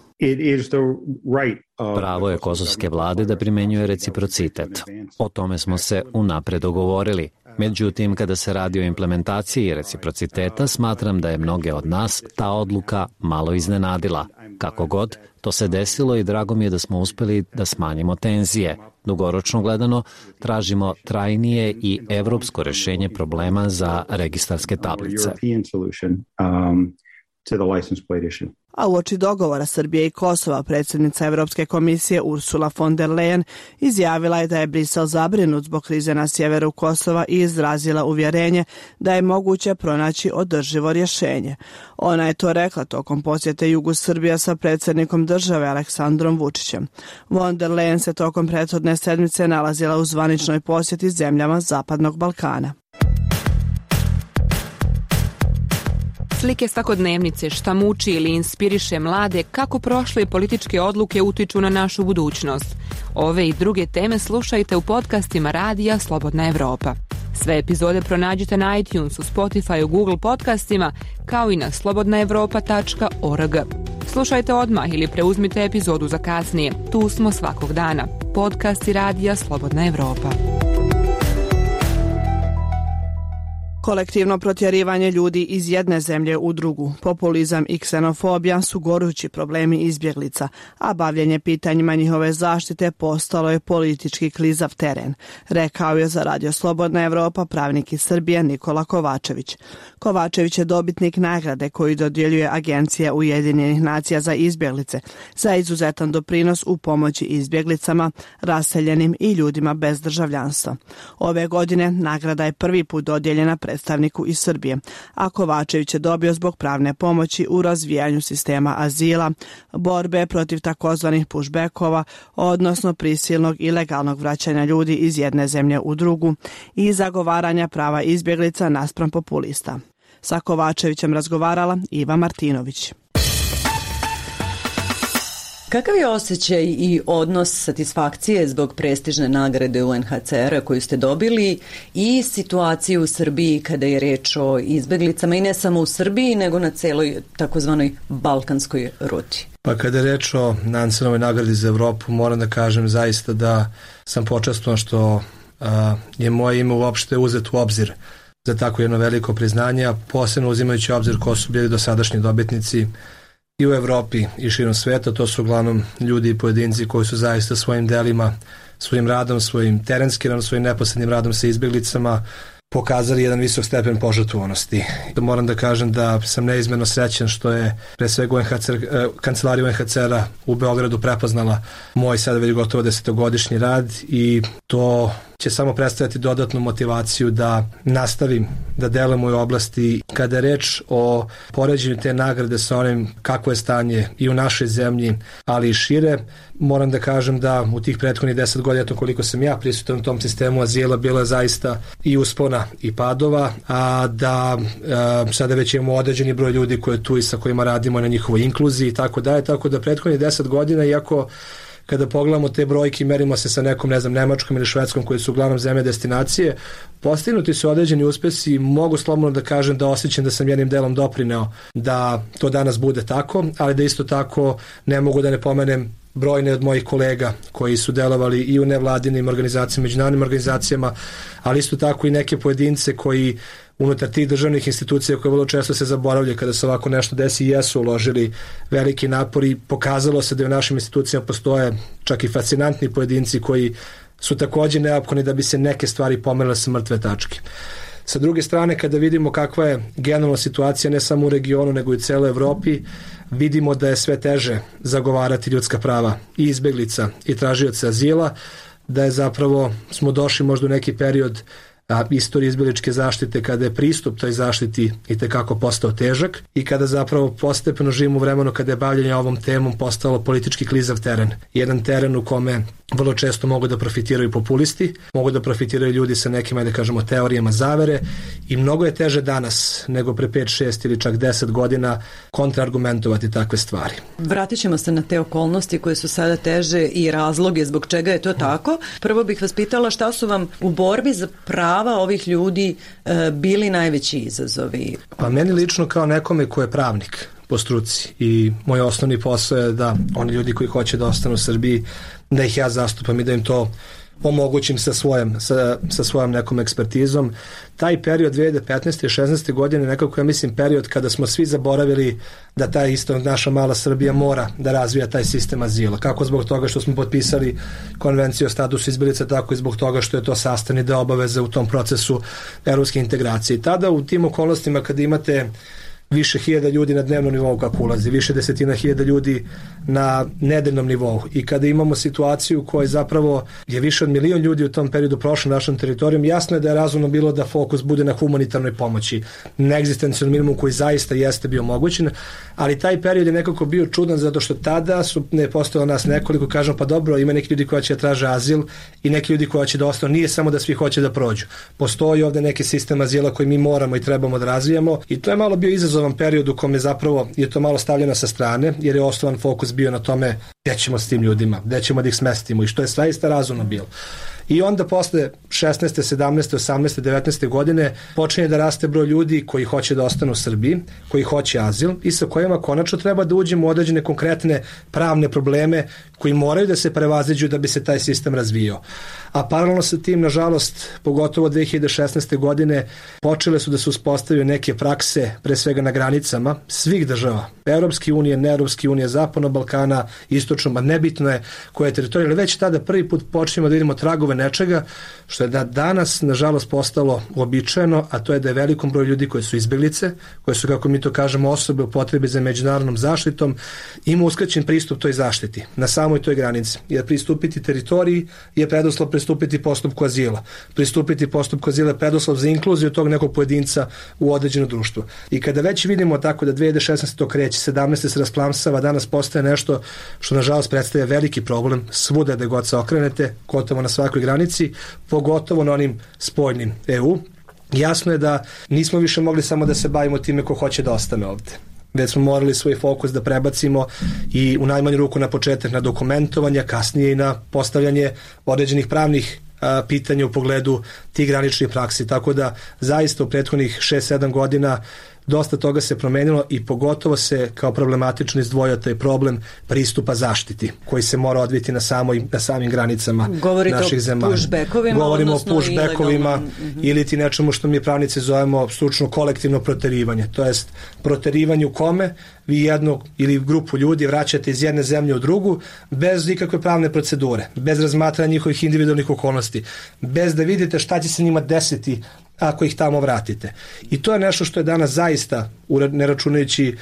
Pravo je kosovske vlade da primjenjuje reciprocitet. O tome smo se unapred dogovorili. Međutim, kada se radi o implementaciji reciprociteta, smatram da je mnoge od nas ta odluka malo iznenadila. Kako god, to se desilo i drago mi je da smo uspeli da smanjimo tenzije. Dugoročno gledano, tražimo trajnije i evropsko rešenje problema za registarske tablice. to the license plate issue. A uoči dogovora Srbije i Kosova, predsjednica Evropske komisije Ursula von der Leyen izjavila je da je Brisel zabrinut zbog krize na sjeveru Kosova i izrazila uvjerenje da je moguće pronaći održivo rješenje. Ona je to rekla tokom posjete jugu Srbija sa predsjednikom države Aleksandrom Vučićem. Von der Leyen se tokom prethodne sedmice nalazila u zvaničnoj posjeti zemljama Zapadnog Balkana. Slike svakodnevnice, šta muči ili inspiriše mlade, kako prošle političke odluke utiču na našu budućnost. Ove i druge teme slušajte u podcastima Radija Slobodna Evropa. Sve epizode pronađite na iTunesu, Spotifyu, Google podcastima, kao i na slobodna evropa tačka org. Slušajte odmah ili preuzmite epizodu za kasnije. Tu smo svakog dana. Podcasti Radija Slobodna Evropa. Kolektivno protjerivanje ljudi iz jedne zemlje u drugu, populizam i ksenofobija su gorući problemi izbjeglica, a bavljenje pitanjima njihove zaštite postalo je politički klizav teren, rekao je za Radio Slobodna Evropa pravnik iz Srbije Nikola Kovačević. Kovačević je dobitnik nagrade koju dodjeljuje Agencija Ujedinjenih nacija za izbjeglice za izuzetan doprinos u pomoći izbjeglicama, raseljenim i ljudima bez državljanstva. Ove godine nagrada je prvi put dodijeljena predstavniku iz Srbije, a Kovačević je dobio zbog pravne pomoći u razvijanju sistema azila, borbe protiv takozvanih pushbackova, odnosno prisilnog i legalnog vraćanja ljudi iz jedne zemlje u drugu i zagovaranja prava izbjeglica naspram populista. Sa Kovačevićem razgovarala Iva Martinović. Kakav je osjećaj i odnos satisfakcije zbog prestižne nagrade U N H C R-a koju ste dobili i situaciju u Srbiji kada je reč o izbeglicama i ne samo u Srbiji nego na celoj takozvanoj balkanskoj ruti? Pa kada je reč o Nansenovoj nagradi za Evropu, moram da kažem zaista da sam počastvovan što a, je moje ime uopšte uzet u obzir za tako jedno veliko priznanje, a posebno uzimajući obzir ko su bili dosadašnji dobitnici i u Evropi i širom sveta. To su uglavnom ljudi i pojedinci koji su zaista svojim delima, svojim radom, svojim terenskim radom, svojim neposrednim radom sa izbjeglicama pokazali jedan visok stepen požrtvovanosti. Moram da kažem da sam neizmjerno srećan što je pre svega U N H C R, kancelarija U N H C R-a u Beogradu prepoznala moj sada već gotovo desetogodišnji rad i to će samo predstavljati dodatnu motivaciju da nastavim da delujem u ovoj oblasti. Kada je reč o poređenju te nagrade sa onim kako je stanje i u našoj zemlji, ali i šire, moram da kažem da u tih prethodnih deset godina, to koliko sam ja prisutan u tom sistemu azila, bilo je zaista i uspona i padova, a da e, sada već imamo određeni broj ljudi koji je tu i sa kojima radimo na njihovoj inkluziji i tako dalje, tako da prethodnih deset godina, iako kada pogledamo te brojke i merimo se sa nekom, ne znam, Nemačkom ili Švedskom koji su uglavnom zemlje destinacije, postignuti su određeni uspesi i mogu slobodno da kažem da osjećam da sam jednim delom doprineo da to danas bude tako, ali da isto tako ne mogu da ne pomenem brojne od mojih kolega koji su delovali i u nevladinim organizacijama, međunarodnim organizacijama, ali isto tako i neke pojedince koji unutar tih državnih institucija koje vrlo često se zaboravljaju kada se ovako nešto desi i jesu uložili veliki napor i pokazalo se da u našim institucijama postoje čak i fascinantni pojedinci koji su također neophodni da bi se neke stvari pomerile sa mrtve tačke. Sa druge strane, kada vidimo kakva je generalna situacija ne samo u regionu nego i u celoj Evropi, vidimo da je sve teže zagovarati ljudska prava i izbeglica i tražioca azila, da je zapravo smo došli možda u neki period a, istorije izbjegličke zaštite kada je pristup toj zaštiti i tekako postao težak i kada zapravo postepeno živimo u vremenu kada je bavljanje ovom temom postalo politički klizav teren. Jedan teren u kome vrlo često mogu da profitiraju populisti, mogu da profitiraju ljudi sa nekim, da kažemo, teorijama zavere i mnogo je teže danas nego pre pet, šest ili čak deset godina kontraargumentovati takve stvari. Vratit ćemo se na te okolnosti koje su sada teže i razloge zbog čega je to tako. Prvo bih vas pitala šta su vam u borbi za prava ovih ljudi e, bili najveći izazovi? Pa meni lično kao nekome ko je pravnik po struci i moj osnovni posao je da oni ljudi koji hoće da ostanu u Srbiji, da ih ja zastupam i da im to omogućim sa svojom, sa, sa svojom nekom ekspertizom. Taj period dve hiljade petnaeste i šesnaeste godine nekako ja mislim period kada smo svi zaboravili da ta isto naša mala Srbija mora da razvija taj sistem azila. Kako zbog toga što smo potpisali konvenciju o statusu izbjeglica, tako i zbog toga što je to sastavni deo obaveze u tom procesu evropske integracije. I tada u tim okolnostima kada imate više hiljada ljudi na dnevnom nivou kako ulazi, više desetina hiljada ljudi na nedeljnom nivou. I kada imamo situaciju koja zapravo je više od milion ljudi u tom periodu prošlo našom teritorijom, jasno je da je razumno bilo da fokus bude na humanitarnoj pomoći, na egzistencijalnom minimumu koji zaista jeste bio mogućen, ali taj period je nekako bio čudan zato što tada su ne postojalo nas nekoliko, kažem pa dobro, ima neki ljudi koji će da traže azil i neki ljudi koji će da ostanu, nije samo da svi hoće da prođu. Postoji ovde neki sistem azila koji mi moramo i trebamo da razvijamo i to je malo bio izazovan period u kome zapravo je to malo stavljeno sa strane jer je osnovan fokus bio na tome gde ćemo s tim ljudima, gde ćemo da ih smestimo i što je zaista razumno bilo. I onda posle šesnaeste, sedamnaeste, osamnaeste, devetnaeste godine počinje da raste broj ljudi koji hoće da ostanu u Srbiji, koji hoće azil i sa kojima konačno treba da uđemo u određene konkretne pravne probleme koji moraju da se prevaziđu da bi se taj sistem razvijao. A paralelno sa tim, nažalost, pogotovo dve hiljade šesnaeste godine počele su da se uspostavljaju neke prakse, pre svega na granicama svih država, Evropske unije, ne Evropske unije, Zapadnog Balkana, Istočnog, nebitno je koja je teritorija, ali već tada prvi put počnemo da vidimo tragove nečega što je da danas, nažalost, postalo uobičajeno, a to je da je velikom broju ljudi koji su izbeglice, koje su, kako mi to kažemo, osobe u potrebi za međunarodnom zaštitom, ima uskraćen pristup toj zaštiti na samoj toj granici. Jer pristupiti teritoriji je preduslov pristupiti postupku azila. Pristupiti postupku azila je preduslov za inkluziju tog nekog pojedinca u određeno društvo. I kada već vidimo tako da dve hiljade šesnaeste to kreće, sedamnaeste se rasplamsava, danas postaje nešto što nažalost predstavlja veliki problem svuda da god se okrenete, gotovo na svakoj granici, pogotovo na onim spoljnim E U. Jasno je da nismo više mogli samo da se bavimo time ko hoće da ostane ovde. Već smo morali svoj fokus da prebacimo i u najmanju ruku na početak na dokumentovanje, kasnije i na postavljanje određenih pravnih a, pitanja u pogledu tih graničnih praksi. Tako da zaista u prethodnih šest sedam godina dosta toga se promenilo i pogotovo se kao problematično izdvojio taj problem pristupa zaštiti koji se mora odviti na, samoj, na samim granicama Govorite naših zemalja. Pushbackovima, Govorimo o pushbackovima pushbackovima mm-hmm. ili ti nečemu što mi pravnici zovemo stručno kolektivno proterivanje. To jest proterivanje u kome vi jednu ili grupu ljudi vraćate iz jedne zemlje u drugu bez ikakve pravne procedure, bez razmatranja njihovih individualnih okolnosti, bez da vidite šta će se njima desiti ako ih tamo vratite. I to je nešto što je danas zaista, ne računajući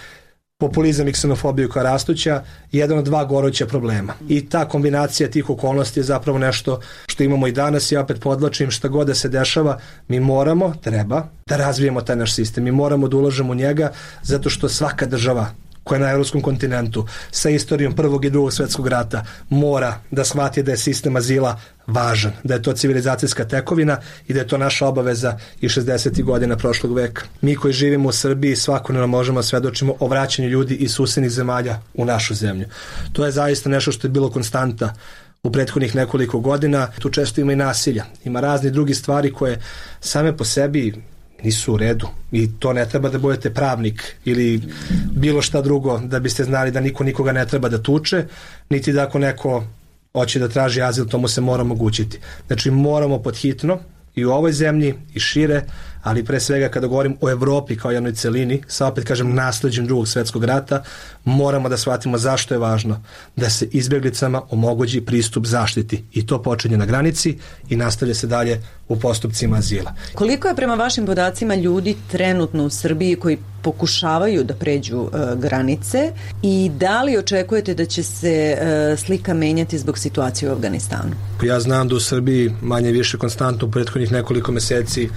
populizam i ksenofobiju koja rastuća, jedan od dva goruća problema. I ta kombinacija tih okolnosti je zapravo nešto što imamo i danas. Ja opet podlačim, šta god da se dešava, mi moramo, treba, da razvijemo taj naš sistem. Mi moramo da ulažemo u njega zato što svaka država koja je na evropskom kontinentu sa istorijom prvog i drugog svetskog rata mora da shvati da je sistem azila važan, da je to civilizacijska tekovina i da je to naša obaveza i šezdesetih godina prošlog veka. Mi koji živimo u Srbiji svakodnevno možemo svedočimo o vraćanju ljudi iz susednih zemalja u našu zemlju. To je zaista nešto što je bilo konstanta u prethodnih nekoliko godina. Tu često ima i nasilja, ima razne drugi stvari koje same po sebi nisu u redu i to ne treba da budete pravnik ili bilo šta drugo da biste znali da niko nikoga ne treba da tuče, niti da ako neko hoće da traži azil, to mu se mora omogućiti. Znači moramo podhitno i u ovoj zemlji i šire, ali pre svega kada govorim o Evropi kao jednoj celini, sa opet kažem nasleđem drugog svetskog rata, moramo da shvatimo zašto je važno da se izbjeglicama omogući pristup zaštiti i to počinje na granici i nastavlja se dalje u postupcima azila. Koliko je prema vašim podacima ljudi trenutno u Srbiji koji pokušavaju da pređu uh, granice i da li očekujete da će se uh, slika menjati zbog situacije u Afganistanu? Ja znam da u Srbiji manje više konstantno u prethodnih nekoliko meseci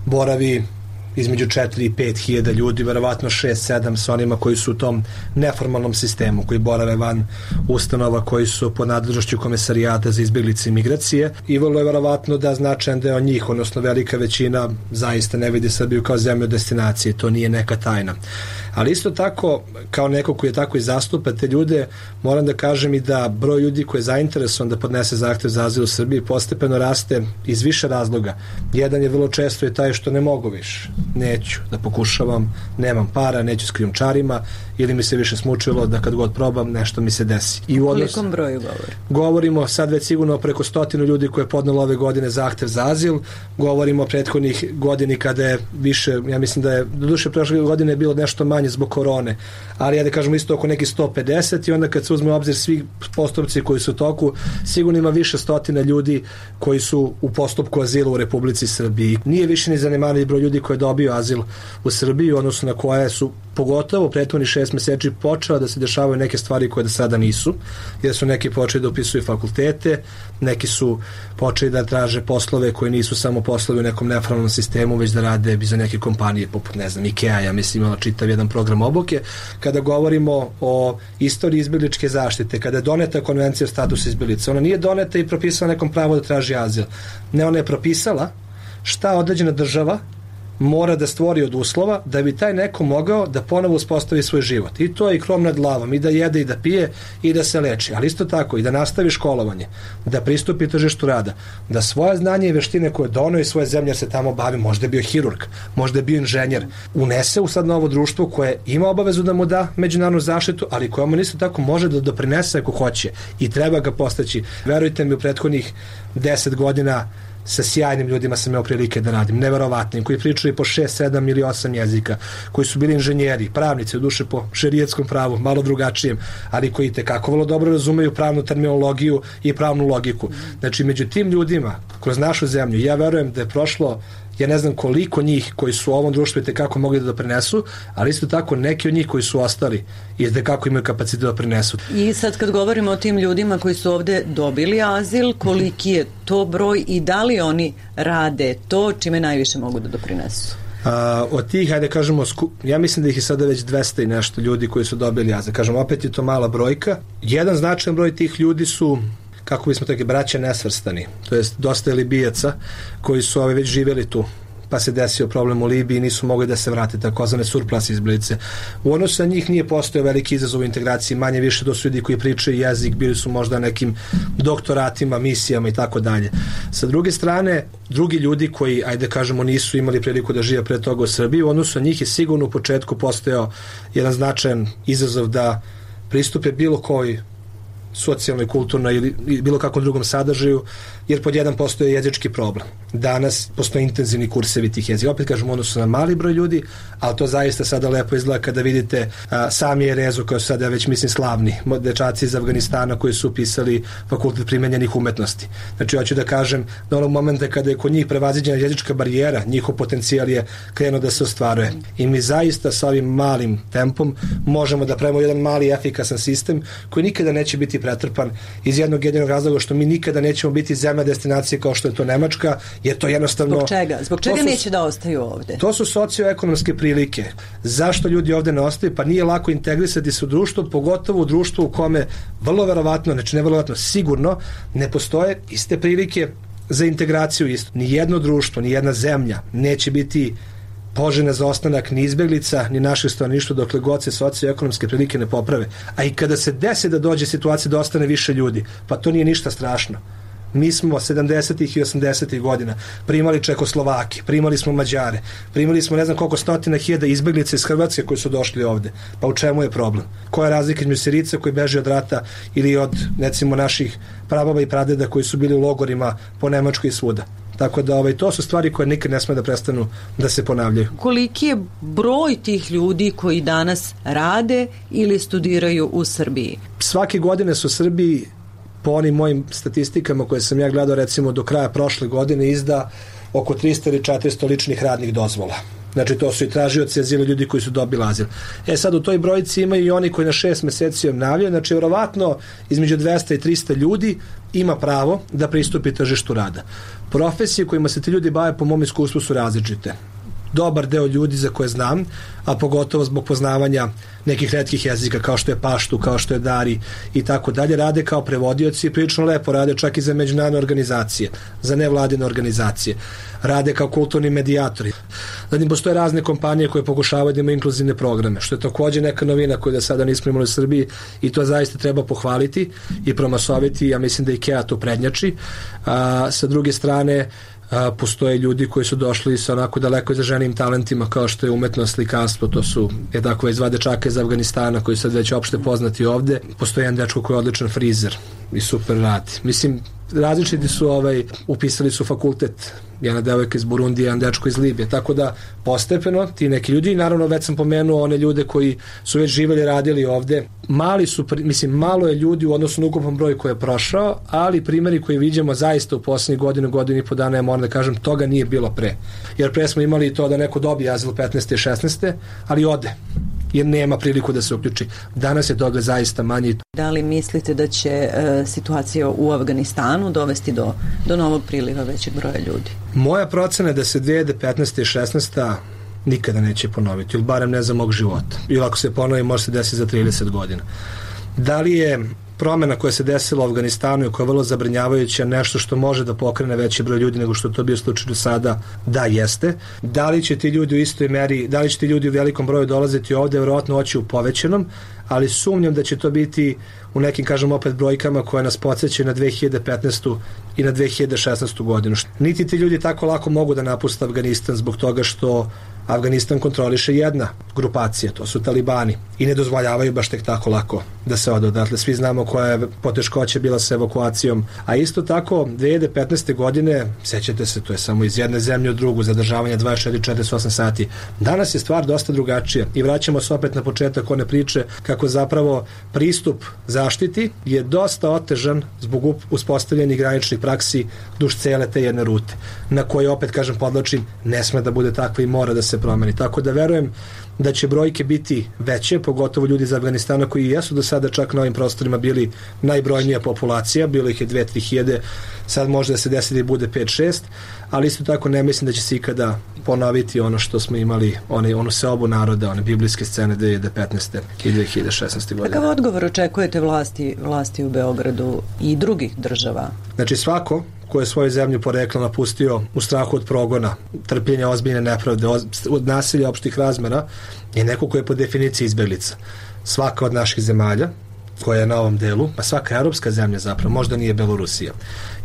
boravi između četiri i pet hiljada ljudi, verovatno šest sedam sa onima koji su u tom neformalnom sistemu, koji borave van ustanova, koji su pod nadležnošću Komesarijata za izbjeglice i migracije i vrlo je verovatno da značajan deo njih, odnosno velika većina, zaista ne vidi Srbiju kao zemlju destinacije, to nije neka tajna. Ali isto tako, kao neko koji je tako i zastupa te ljude, moram da kažem i da broj ljudi koji je zainteresovan da podnese zahtev za azil u Srbiji postepeno raste iz više razloga. Jedan je vrlo često je taj što ne mogu više. Neću da pokušavam, nemam para, neću s krijumčarima ili mi se više smučilo da kad god probam nešto mi se desi. I u odnos... Kolikom broju govori? Govorimo sad već sigurno preko stotinu ljudi koje je podnelo ove godine zahtev za azil. Govorimo o prethodnih godini kada je više, ja mislim da je, do duše prošle godine je bilo nešto manje zbog korone, ali ja da kažemo isto oko nekih sto pedeset i onda kad se uzme u obzir svi postupci koji su u toku, sigurno ima više stotina ljudi koji su u postupku azila u Republici Srbiji. Nije više ni zanemarljiv broj ljudi koji je dobio azil u Srbiji, odnosno na koje su pogotovo prethodnih šest meseci počela da se dešavaju neke stvari koje do sada nisu, jer su neki počeli da upisuju fakultete, neki su počeli da traže poslove koji nisu samo poslovi u nekom neformalnom sistemu, već da rade za neke kompanije poput, ne znam, Ikea, ja mislim imala čitav jedan program obuke. Kada govorimo o istoriji izbjegličke zaštite, kada je doneta konvencija o statusu izbjeglica, ona nije doneta i propisala nekom pravo da traži azil. Ne, ona je propisala šta određena država mora da stvori od uslova da bi taj neko mogao da ponovo uspostavi svoj život. I to je i krov nad glavom, i da jede i da pije i da se leči. Ali isto tako i da nastavi školovanje, da pristupi tržištu rada, da svoje znanje i veštine koje doneo iz svoje zemlje jer se tamo bavi, možda je bio hirurg, možda je bio inženjer, unese u sad novo društvo koje ima obavezu da mu da međunarodnu zaštitu, ali koje mu isto tako može da doprinese ako hoće i treba ga postaći. Verujte mi, u prethodnih deset godina sa sjajnim ljudima sam imao prilike da radim, neverovatnim, koji pričaju po šest, sedam ili osam jezika, koji su bili inženjeri, pravnici, u duše po šerijetskom pravu, malo drugačijem, ali koji tekako vrlo dobro razumeju pravnu terminologiju i pravnu logiku. Znači, među tim ljudima, kroz našu zemlju, ja verujem da je prošlo, ja ne znam koliko njih koji su u ovom društvu i tekako mogli da doprinesu, ali isto tako neki od njih koji su ostali i tekako imaju kapacitet da doprinesu. I sad kad govorimo o tim ljudima koji su ovde dobili azil, koliki je to broj i da li oni rade to čime najviše mogu da doprinesu? A, od tih, hajde kažemo, ja mislim da ih je sada već dvesta i nešto ljudi koji su dobili azil. Kažem, opet je to mala brojka. Jedan značajan broj tih ljudi su, kako bismo tako, braća nesvrstani, to jest dosta je Libijaca koji su ove već živjeli tu, pa se desio problem u Libiji i nisu mogli da se vrate, takozvane surplus izbjeglice. U odnosu na njih nije postojao veliki izazov u integraciji, manje više to su ljudi koji pričaju jezik, bili su možda nekim doktoratima, misijama i tako dalje. Sa druge strane, drugi ljudi koji, ajde kažemo, nisu imali priliku da žive pre toga u Srbiji, u odnosu na njih je sigurno u početku postojao jedan značajan izazov da pristupe bilo koji socijalnoj, kulturnoj ili bilo kakvom drugom sadržaju, jer pod jedan postoje jezički problem. Danas postoje intenzivni kursevi tih jezika. Opet kažem, ono su na mali broj ljudi, ali to zaista sada lepo izgleda kada vidite a, sami Erezu, koji su sada već, mislim, slavni dečaci iz Afganistana koji su upisali fakultet primenjenih umetnosti. Znači, hoću da kažem, da onog momenta kada je kod njih prevaziđena jezička barijera, njihov potencijal je krenuo da se ostvaruje. I mi zaista sa ovim malim tempom možemo da pravimo jedan mali efikasan sistem koji nikada neće biti pretrpan iz jednog jedinog razloga što mi nikada nećemo biti zemlja destinacije kao što je to Nemačka, jer to jednostavno... Zbog čega? Zbog čega su, neće da ostaju ovde? To su socioekonomske prilike. Zašto ljudi ovde ne ostaju? Pa nije lako integrisati se u društvo, pogotovo u društvu u kome vrlo verovatno, znači ne verovatno, sigurno ne postoje iste prilike za integraciju isto. Ni jedno društvo, ni jedna zemlja neće biti poželjna za ostanak ni izbeglica, ni naših stanovništva dokle god se socioekonomske prilike ne poprave. A i kada se desi da dođe situacija da ostane više ljudi, pa to nije ništa strašno. Mi smo sedamdesetih i osamdesetih godina primali Čekoslovake, primali smo Mađare, primali smo ne znam koliko stotina hiljada izbeglica iz Hrvatske koji su došli ovde. Pa u čemu je problem? Koja je razlika između Sirica koji beže od rata ili od, recimo, naših prababa i pradeda koji su bili u logorima po Nemačkoj i svuda? Tako da ovaj, to su stvari koje nikad ne sme da prestanu da se ponavljaju. Koliki je broj tih ljudi koji danas rade ili studiraju u Srbiji? Svake godine su u Srbiji, po onim mojim statistikama koje sam ja gledao, recimo do kraja prošle godine, izda oko trista ili četiristo ličnih radnih dozvola. Znači, to su i tražioci azila, ljudi koji su dobili azil. E sad, u toj brojici imaju i oni koji na šest meseci obnavljaju, znači, vjerovatno između dvesta i trista ljudi ima pravo da pristupi tržištu rada. Profesije kojima se ti ljudi bave, po mom iskustvu, su različite. Dobar deo ljudi za koje znam, a pogotovo zbog poznavanja nekih retkih jezika kao što je paštu, kao što je dari i tako dalje, rade kao prevodioci i prilično lepo rade čak i za međunarodne organizacije, za nevladine organizacije. Rade kao kulturni medijatori. Zatim postoje razne kompanije koje pokušavaju da imaju inkluzivne programe, što je takođe neka novina koju da sada nismo imali u Srbiji i to zaista treba pohvaliti i promasoviti. Ja mislim da Ikea to prednjači. A, sa druge strane, A, postoje ljudi koji su došli sa onako daleko izraženim talentima kao što je umetnost, slikarstvo, to su je tako iz dva dečaka iz Afganistana koji sad već opšte poznati ovde. Postoji jedan dečko koji je odličan frizer i super radi. Mislim, različiti su ovaj, upisali su fakultet, jedna devojka iz Burundija, jedan dečko iz Libije, tako da postepeno ti neki ljudi, i naravno već sam pomenuo one ljude koji su već živjeli, radili ovde, mali su, mislim, malo je ljudi u odnosu na ukupan broj koji je prošao, ali primjeri koji vidimo zaista u posljednjih godinu, godinu i po dana, ja moram da kažem, toga nije bilo pre. Jer pre smo imali to da neko dobije azil petnaeste i šesnaeste, ali ode. jer nema priliku da se uključi. Danas je toga zaista manje. Da li mislite da će e, situacija u Afganistanu dovesti do, do novog priliva većeg broja ljudi? Moja procena je da se dve hiljade petnaesta i šesnaesta nikada neće ponoviti, ili barem ne za mog života. Ili ako se ponovi, može se desiti za trideset godina. Da li je promjena koja se desila u Afganistanu i koja je vrlo zabrinjavajuća nešto što može da pokrene veći broj ljudi nego što to bio slučaj do sada? Da, jeste. Da li će ti ljudi u istoj meri, da li će ti ljudi u velikom broju dolaziti ovde, vjerojatno oći u povećanom, ali sumnjam da će to biti u nekim, kažem opet, brojkama koje nas podsjećaju na dve hiljade petnaestu i na dve hiljade šesnaestu godinu. Niti ti ljudi tako lako mogu da napuste Afganistan zbog toga što Afganistan kontroliše jedna grupacija, to su talibani, i ne dozvoljavaju baš tek tako lako da se ode odatle. Svi znamo koja je poteškoća bila sa evakuacijom. A isto tako, dve hiljade petnaeste godine, sećate se, to je samo iz jedne zemlje u drugu, zadržavanje dvadeset četiri do četrdeset osam sati. Danas je stvar dosta drugačija i vraćamo se opet na početak one priče kako zapravo pristup zaštiti je dosta otežan zbog uspostavljenih graničnih praksi duž cele te jedne rute, na koje, opet kažem, podlačim, ne sme da bude takva i mora da se promeni. Tako da verujem da će brojke biti veće, pogotovo ljudi iz Afganistana koji jesu do sada čak na ovim prostorima bili najbrojnija populacija, bilo ih je dve do tri hiljade, sad može da se desi da bude pet do šest, ali isto tako ne mislim da će se ikada ponoviti ono što smo imali, one, onu seobu naroda, one biblijske scene dve hiljade petnaeste i dve hiljade šesnaeste godine. Kakav odgovor očekujete vlasti, vlasti u Beogradu i drugih država? Znači svako ko je svoju zemlju porekla napustio u strahu od progona, trpljenja ozbiljne nepravde, od nasilja opštih razmera, je neko ko je po definiciji izbeglica. Svaka od naših zemalja koja je na ovom delu, pa svaka europska zemlja zapravo, možda nije Belorusija,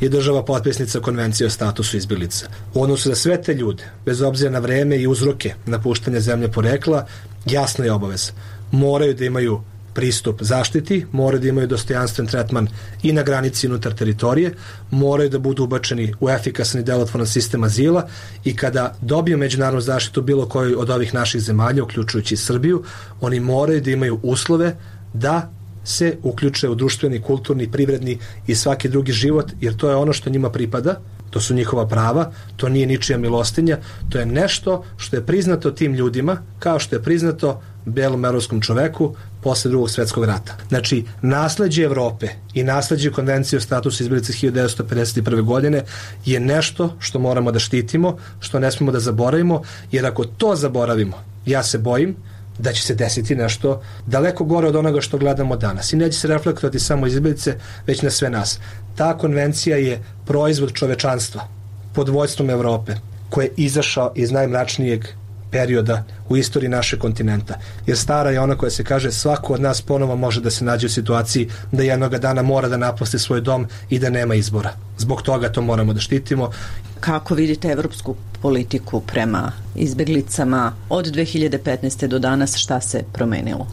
je država potpisnica konvencije o statusu izbeglica. U odnosu za sve te ljude, bez obzira na vreme i uzroke napuštanja zemlje porekla, jasna je obaveza. Moraju da imaju pristup zaštiti, moraju da imaju dostojanstven tretman i na granici unutar teritorije, moraju da budu ubačeni u efikasan i delotvoran sistem azila i kada dobiju međunarodnu zaštitu bilo koji od ovih naših zemalja, uključujući Srbiju, oni moraju da imaju uslove da se uključe u društveni, kulturni, privredni i svaki drugi život, jer to je ono što njima pripada, to su njihova prava, to nije ničija milostinja, to je nešto što je priznato tim ljudima, kao što je priznato belom evropskom čoveku posle drugog svetskog rata. Znači, nasleđe Evrope i nasleđe konvencije o statusu izbeglica hiljadu devetsto pedeset prve godine je nešto što moramo da štitimo, što ne smemo da zaboravimo, jer ako to zaboravimo, ja se bojim da će se desiti nešto daleko gore od onoga što gledamo danas. I neće se reflektovati samo izbeglice, već na sve nas. Ta konvencija je proizvod čovečanstva pod vođstvom Evrope, koji je izašao iz najmračnijeg perioda u istoriji našeg kontinenta. Jer stara je ona koja se kaže svako od nas ponovo može da se nađe u situaciji da jednog dana mora da napusti svoj dom i da nema izbora. Zbog toga to moramo da štitimo. Kako vidite evropsku politiku prema izbeglicama od dve hiljade petnaeste do danas, šta se promenilo?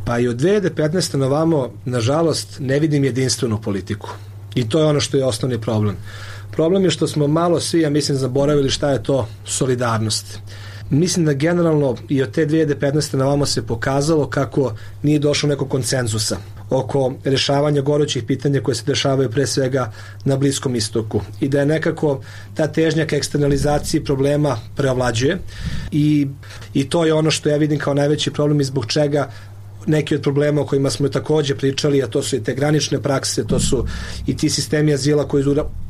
Pa i od dve hiljade petnaeste na ovamo, nažalost, ne vidim jedinstvenu politiku. I to je ono što je osnovni problem. Problem je što smo malo svi, ja mislim, zaboravili šta je to solidarnost. Mislim da generalno i od te dve hiljade petnaeste na ovamo se pokazalo kako nije došlo nekog konsenzusa oko rešavanja gorućih pitanja koje se dešavaju pre svega na Bliskom istoku i da je nekako ta težnja ka eksternalizaciji problema preovlađuje i, i to je ono što ja vidim kao najveći problem i zbog čega neki od problema o kojima smo takođe pričali, a to su i te granične prakse, to su i ti sistemi azila koji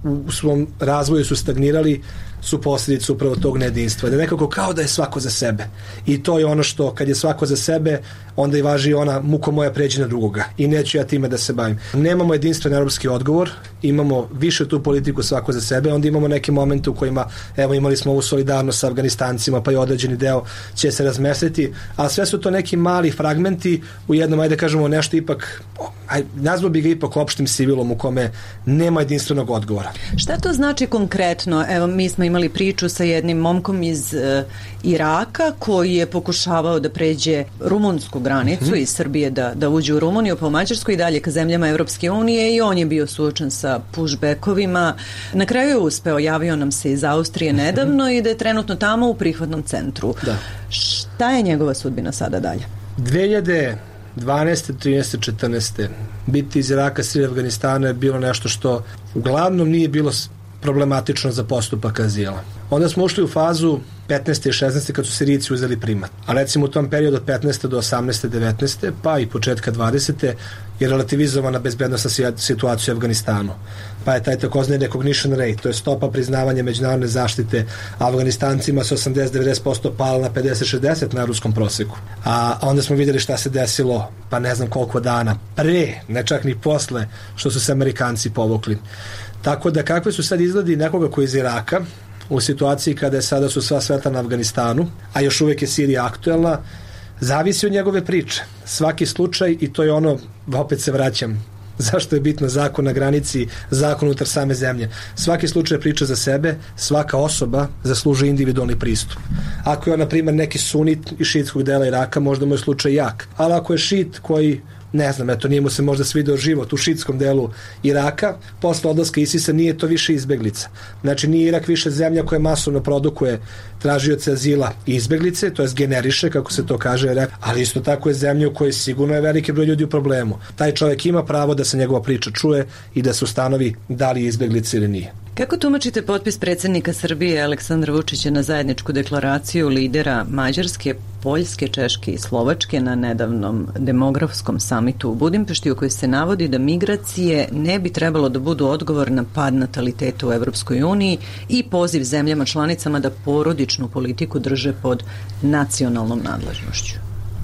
u svom razvoju su stagnirali, su posljedice upravo tog nejedinstva. Da je nekako kao da je svako za sebe. I to je ono što, kad je svako za sebe, onda i važi ona muko moja pređi na drugoga. I neću ja time da se bavim. Nemamo jedinstven evropski odgovor, imamo više tu politiku svako za sebe, onda imamo neke momente u kojima, evo, imali smo ovu solidarnost sa Afganistancima, pa i određeni deo će se razmestiti, a sve su to neki mali fragmenti u jednom, ajde kažemo, nešto ipak, aj, nazvao bi ga ipak opštim civilom u kome nema jedinstvenog odgovora. Šta to znači konkretno? Evo, mi smo imali priču sa jednim momkom iz uh, Iraka koji je pokušavao da pređe rumunsku granicu hmm. iz Srbije da, da uđe u Rumuniju, pa u Mađarsku i dalje ka zemljama Evropske unije i on je bio suočen sa pushbackovima. Na kraju je uspeo, javio nam se iz Austrije nedavno hmm. i da je trenutno tamo u prihvatnom centru. Da. Šta je njegova sudbina sada dalje? dve hiljade dvanaeste, trinaeste, četrnaeste biti iz Iraka, Sirije, Afganistana je bilo nešto što uglavnom nije bilo problematično za postupak azila. Onda smo ušli u fazu petnaeste i šesnaeste kad su Sirijci uzeli primat. A recimo u tom periodu od petnaeste do osamnaeste, devetnaeste pa i početka dvadesete je relativizovana bezbednosna situacija u Afganistanu. Pa je taj takozvani recognition rate, to je stopa priznavanja međunarodne zaštite Afganistancima sa osamdeset do devedeset posto pala na pedeset do šezdeset na ruskom proseku. A onda smo vidjeli šta se desilo, pa ne znam koliko dana pre, ne čak ni posle, što su se Amerikanci povukli. Tako da kakve su sad izgledi nekoga koji iz Iraka, u situaciji kada je sada su sva sveta na Afganistanu, a još uvijek je Sirija aktuelna, zavisi od njegove priče. Svaki slučaj, i to je ono, opet se vraćam, zašto je bitno zakon na granici, zakon unutar same zemlje. Svaki slučaj priča za sebe, svaka osoba zaslužuje individualni pristup. Ako je on, na primjer, neki sunit iz šiitskog dela Iraka, možda mu je slučaj jak. Ali ako je šit koji, ne znam, eto, nije mu se možda svideo život u šiitskom delu Iraka, posle odlaska Isisa nije to više izbeglica. Znači, nije Irak više zemlja koja masovno produkuje tražioce azila i izbeglice, to je generiše, kako se to kaže, ali isto tako je zemlja u kojoj sigurno je veliki broj ljudi u problemu. Taj čovjek ima pravo da se njegova priča čuje i da se ustanovi da li je izbeglica ili nije. Kako tumačite potpis predsjednika Srbije Aleksandra Vučića na zajedničku deklaraciju lidera Mađarske, Poljske, Češke i Slovačke na nedavnom demografskom samitu u Budimpešti, u kojoj se navodi da migracije ne bi trebalo da budu odgovor na pad nataliteta u Evropskoj uniji i poziv zemljama članicama da porodičnu politiku drže pod nacionalnom nadležnošću?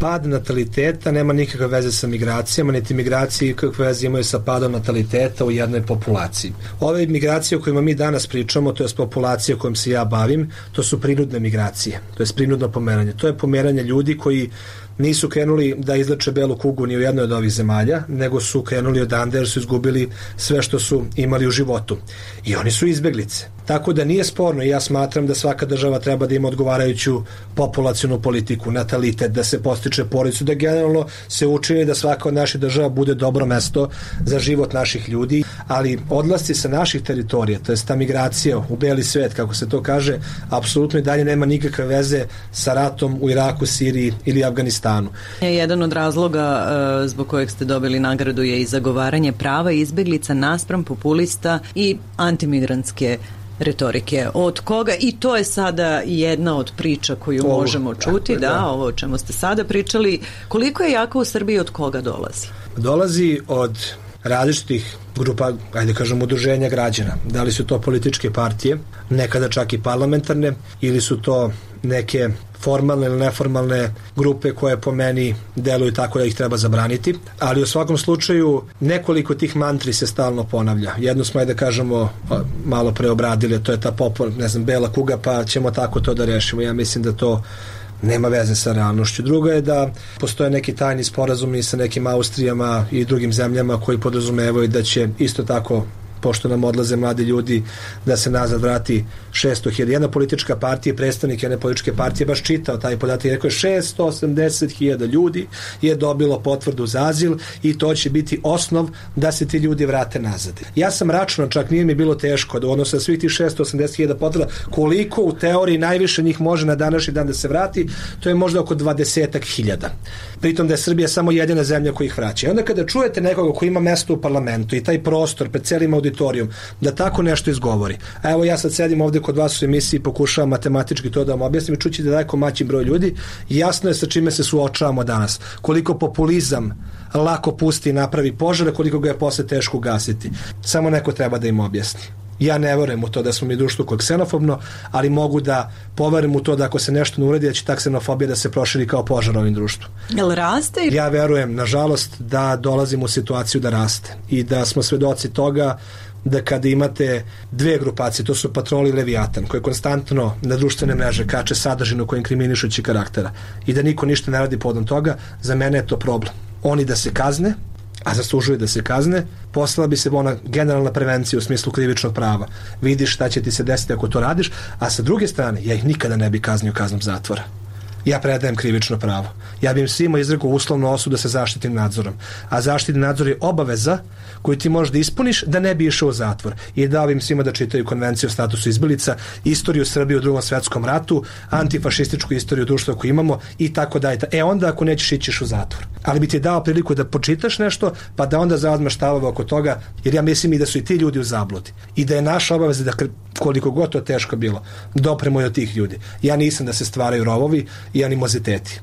Pad nataliteta nema nikakve veze sa migracijama, niti migracije kakve veze imaju sa padom nataliteta u jednoj populaciji. Ove migracije o kojima mi danas pričamo, to je populacija kojom se ja bavim, to su prinudne migracije, to je prinudno pomeranje. To je pomeranje ljudi koji nisu krenuli da izleče belu kugu ni u jednoj od ovih zemalja, nego su krenuli odande jer su izgubili sve što su imali u životu. I oni su izbeglice. Tako da nije sporno i ja smatram da svaka država treba da ima odgovarajuću populacionu politiku, natalitet, da se postiče porodicu, da generalno se učini da svaka od naših država bude dobro mesto za život naših ljudi, ali odlasci sa naših teritorija, to je ta migracija u beli svet, kako se to kaže, apsolutno i dalje nema nikakve veze sa ratom u Iraku, Siriji ili Afganistanu. Jedan od razloga uh, zbog kojeg ste dobili nagradu je i zagovaranje prava izbeglica naspram populista i antimigrantske retorike. Od koga? I to je sada jedna od priča koju ovo, možemo čuti, da, da, ovo o čemu ste sada pričali. Koliko je jaka u Srbiji, od koga dolazi? Dolazi od različitih grupa, ajde kažem, udruženja građana. Da li su to političke partije, nekada čak i parlamentarne, ili su to neke formalne ili neformalne grupe koje po meni deluju tako da ih treba zabraniti, ali u svakom slučaju nekoliko tih mantri se stalno ponavlja. Jednu smo, ajde kažemo, malo preobradili, to je ta popor, ne znam, bela kuga, pa ćemo tako to da rešimo. Ja mislim da to nema veze sa realnošću. Drugo je da postoje neki tajni sporazumi sa nekim Austrijama i drugim zemljama koji podrazumevaju da će isto tako, pošto nam odlaze mladi ljudi, da se nazad vrati šesto hiljada. Jedna politička partija, predstavnik jedne političke partije baš čitao taj podatak i rekao je šesto osamdeset hiljada ljudi je dobilo potvrdu za azil i to će biti osnov da se ti ljudi vrate nazad. Ja sam računao, čak nije mi bilo teško da odnosno svih tih šesto osamdeset hiljada potvrda, koliko u teoriji najviše njih može na današnji dan da se vrati, to je možda oko dvadesetak hiljada. Pritom da je Srbija samo jedina zemlja koja ih vraća. I onda kada čujete nekoga koji ima mesto u parlamentu i taj prostor pred celim auditorijom da tako nešto izgovori. A evo ja sad sedim ovdje kod vas u emisiji i pokušavam matematički to da vam objasnim i čući da daleko maći broj ljudi. Jasno je sa čime se suočavamo danas. Koliko populizam lako pusti i napravi požare, koliko ga je posle teško gasiti. Samo neko treba da im objasni. Ja ne verujem u to da smo mi društvo koje je ksenofobno, ali mogu da poverujem u to da ako se nešto ne uredi, da će ta ksenofobija da se proširi kao požar ovim društvu. Jel raste? Ja verujem, nažalost, da dolazimo u situaciju da raste i da smo svedoci toga da kada imate dve grupacije, to su Patrol i Leviatan, koje konstantno na društvene mreže kače sadržinu koje inkriminišući karaktera i da niko ništa ne radi povodom toga, za mene je to problem. Oni da se kazne, a zaslužuju da se kazne, poslala bi se ona generalna prevencija u smislu krivičnog prava. Vidiš šta će ti se desiti ako to radiš, a sa druge strane, ja ih nikada ne bi kaznio kaznom zatvora. ja predajem krivično pravo. Ja bih im svima izrekao uslovnu osudu sa zaštitnim nadzorom. A zaštitni nadzor je obaveza koju ti možeš da ispuniš da ne bi išao u zatvor. I dao im svima da čitaju konvenciju o statusu izbjeglica, istoriju Srbije u drugom svjetskom ratu, antifašističku istoriju društva koju imamo i tako dalje. E onda ako nećeš ićiš u zatvor. Ali bi ti dao priliku da počitaš nešto pa da onda zauzmeš stavove oko toga, jer ja mislim i da su i ti ljudi u zabludi. I da je naša obaveza da koliko god to teško bilo, dopremo i od tih ljudi. Ja nisam da se stvaraju rovovi i animoziteti.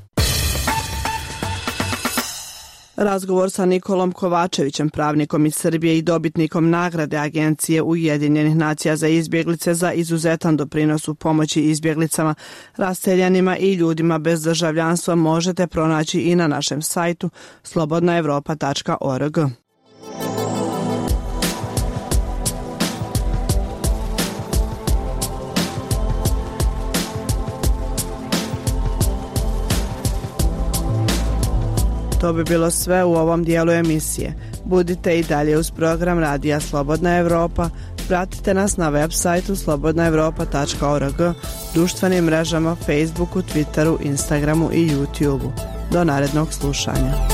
Razgovor sa Nikolom Kovačevićem, pravnikom iz Srbije i dobitnikom nagrade Agencije Ujedinjenih nacija za izbjeglice za izuzetan doprinos u pomoći izbjeglicama, raseljanima i ljudima bez državljanstva možete pronaći i na našem sajtu slobodna evropa tačka org. To bi bilo sve u ovom dijelu emisije. Budite i dalje uz program Radija Slobodna Evropa. Pratite nas na web sajtu slobodna evropa tačka org, društvenim mrežama Facebooku, Twitteru, Instagramu i YouTubeu. Do narednog slušanja.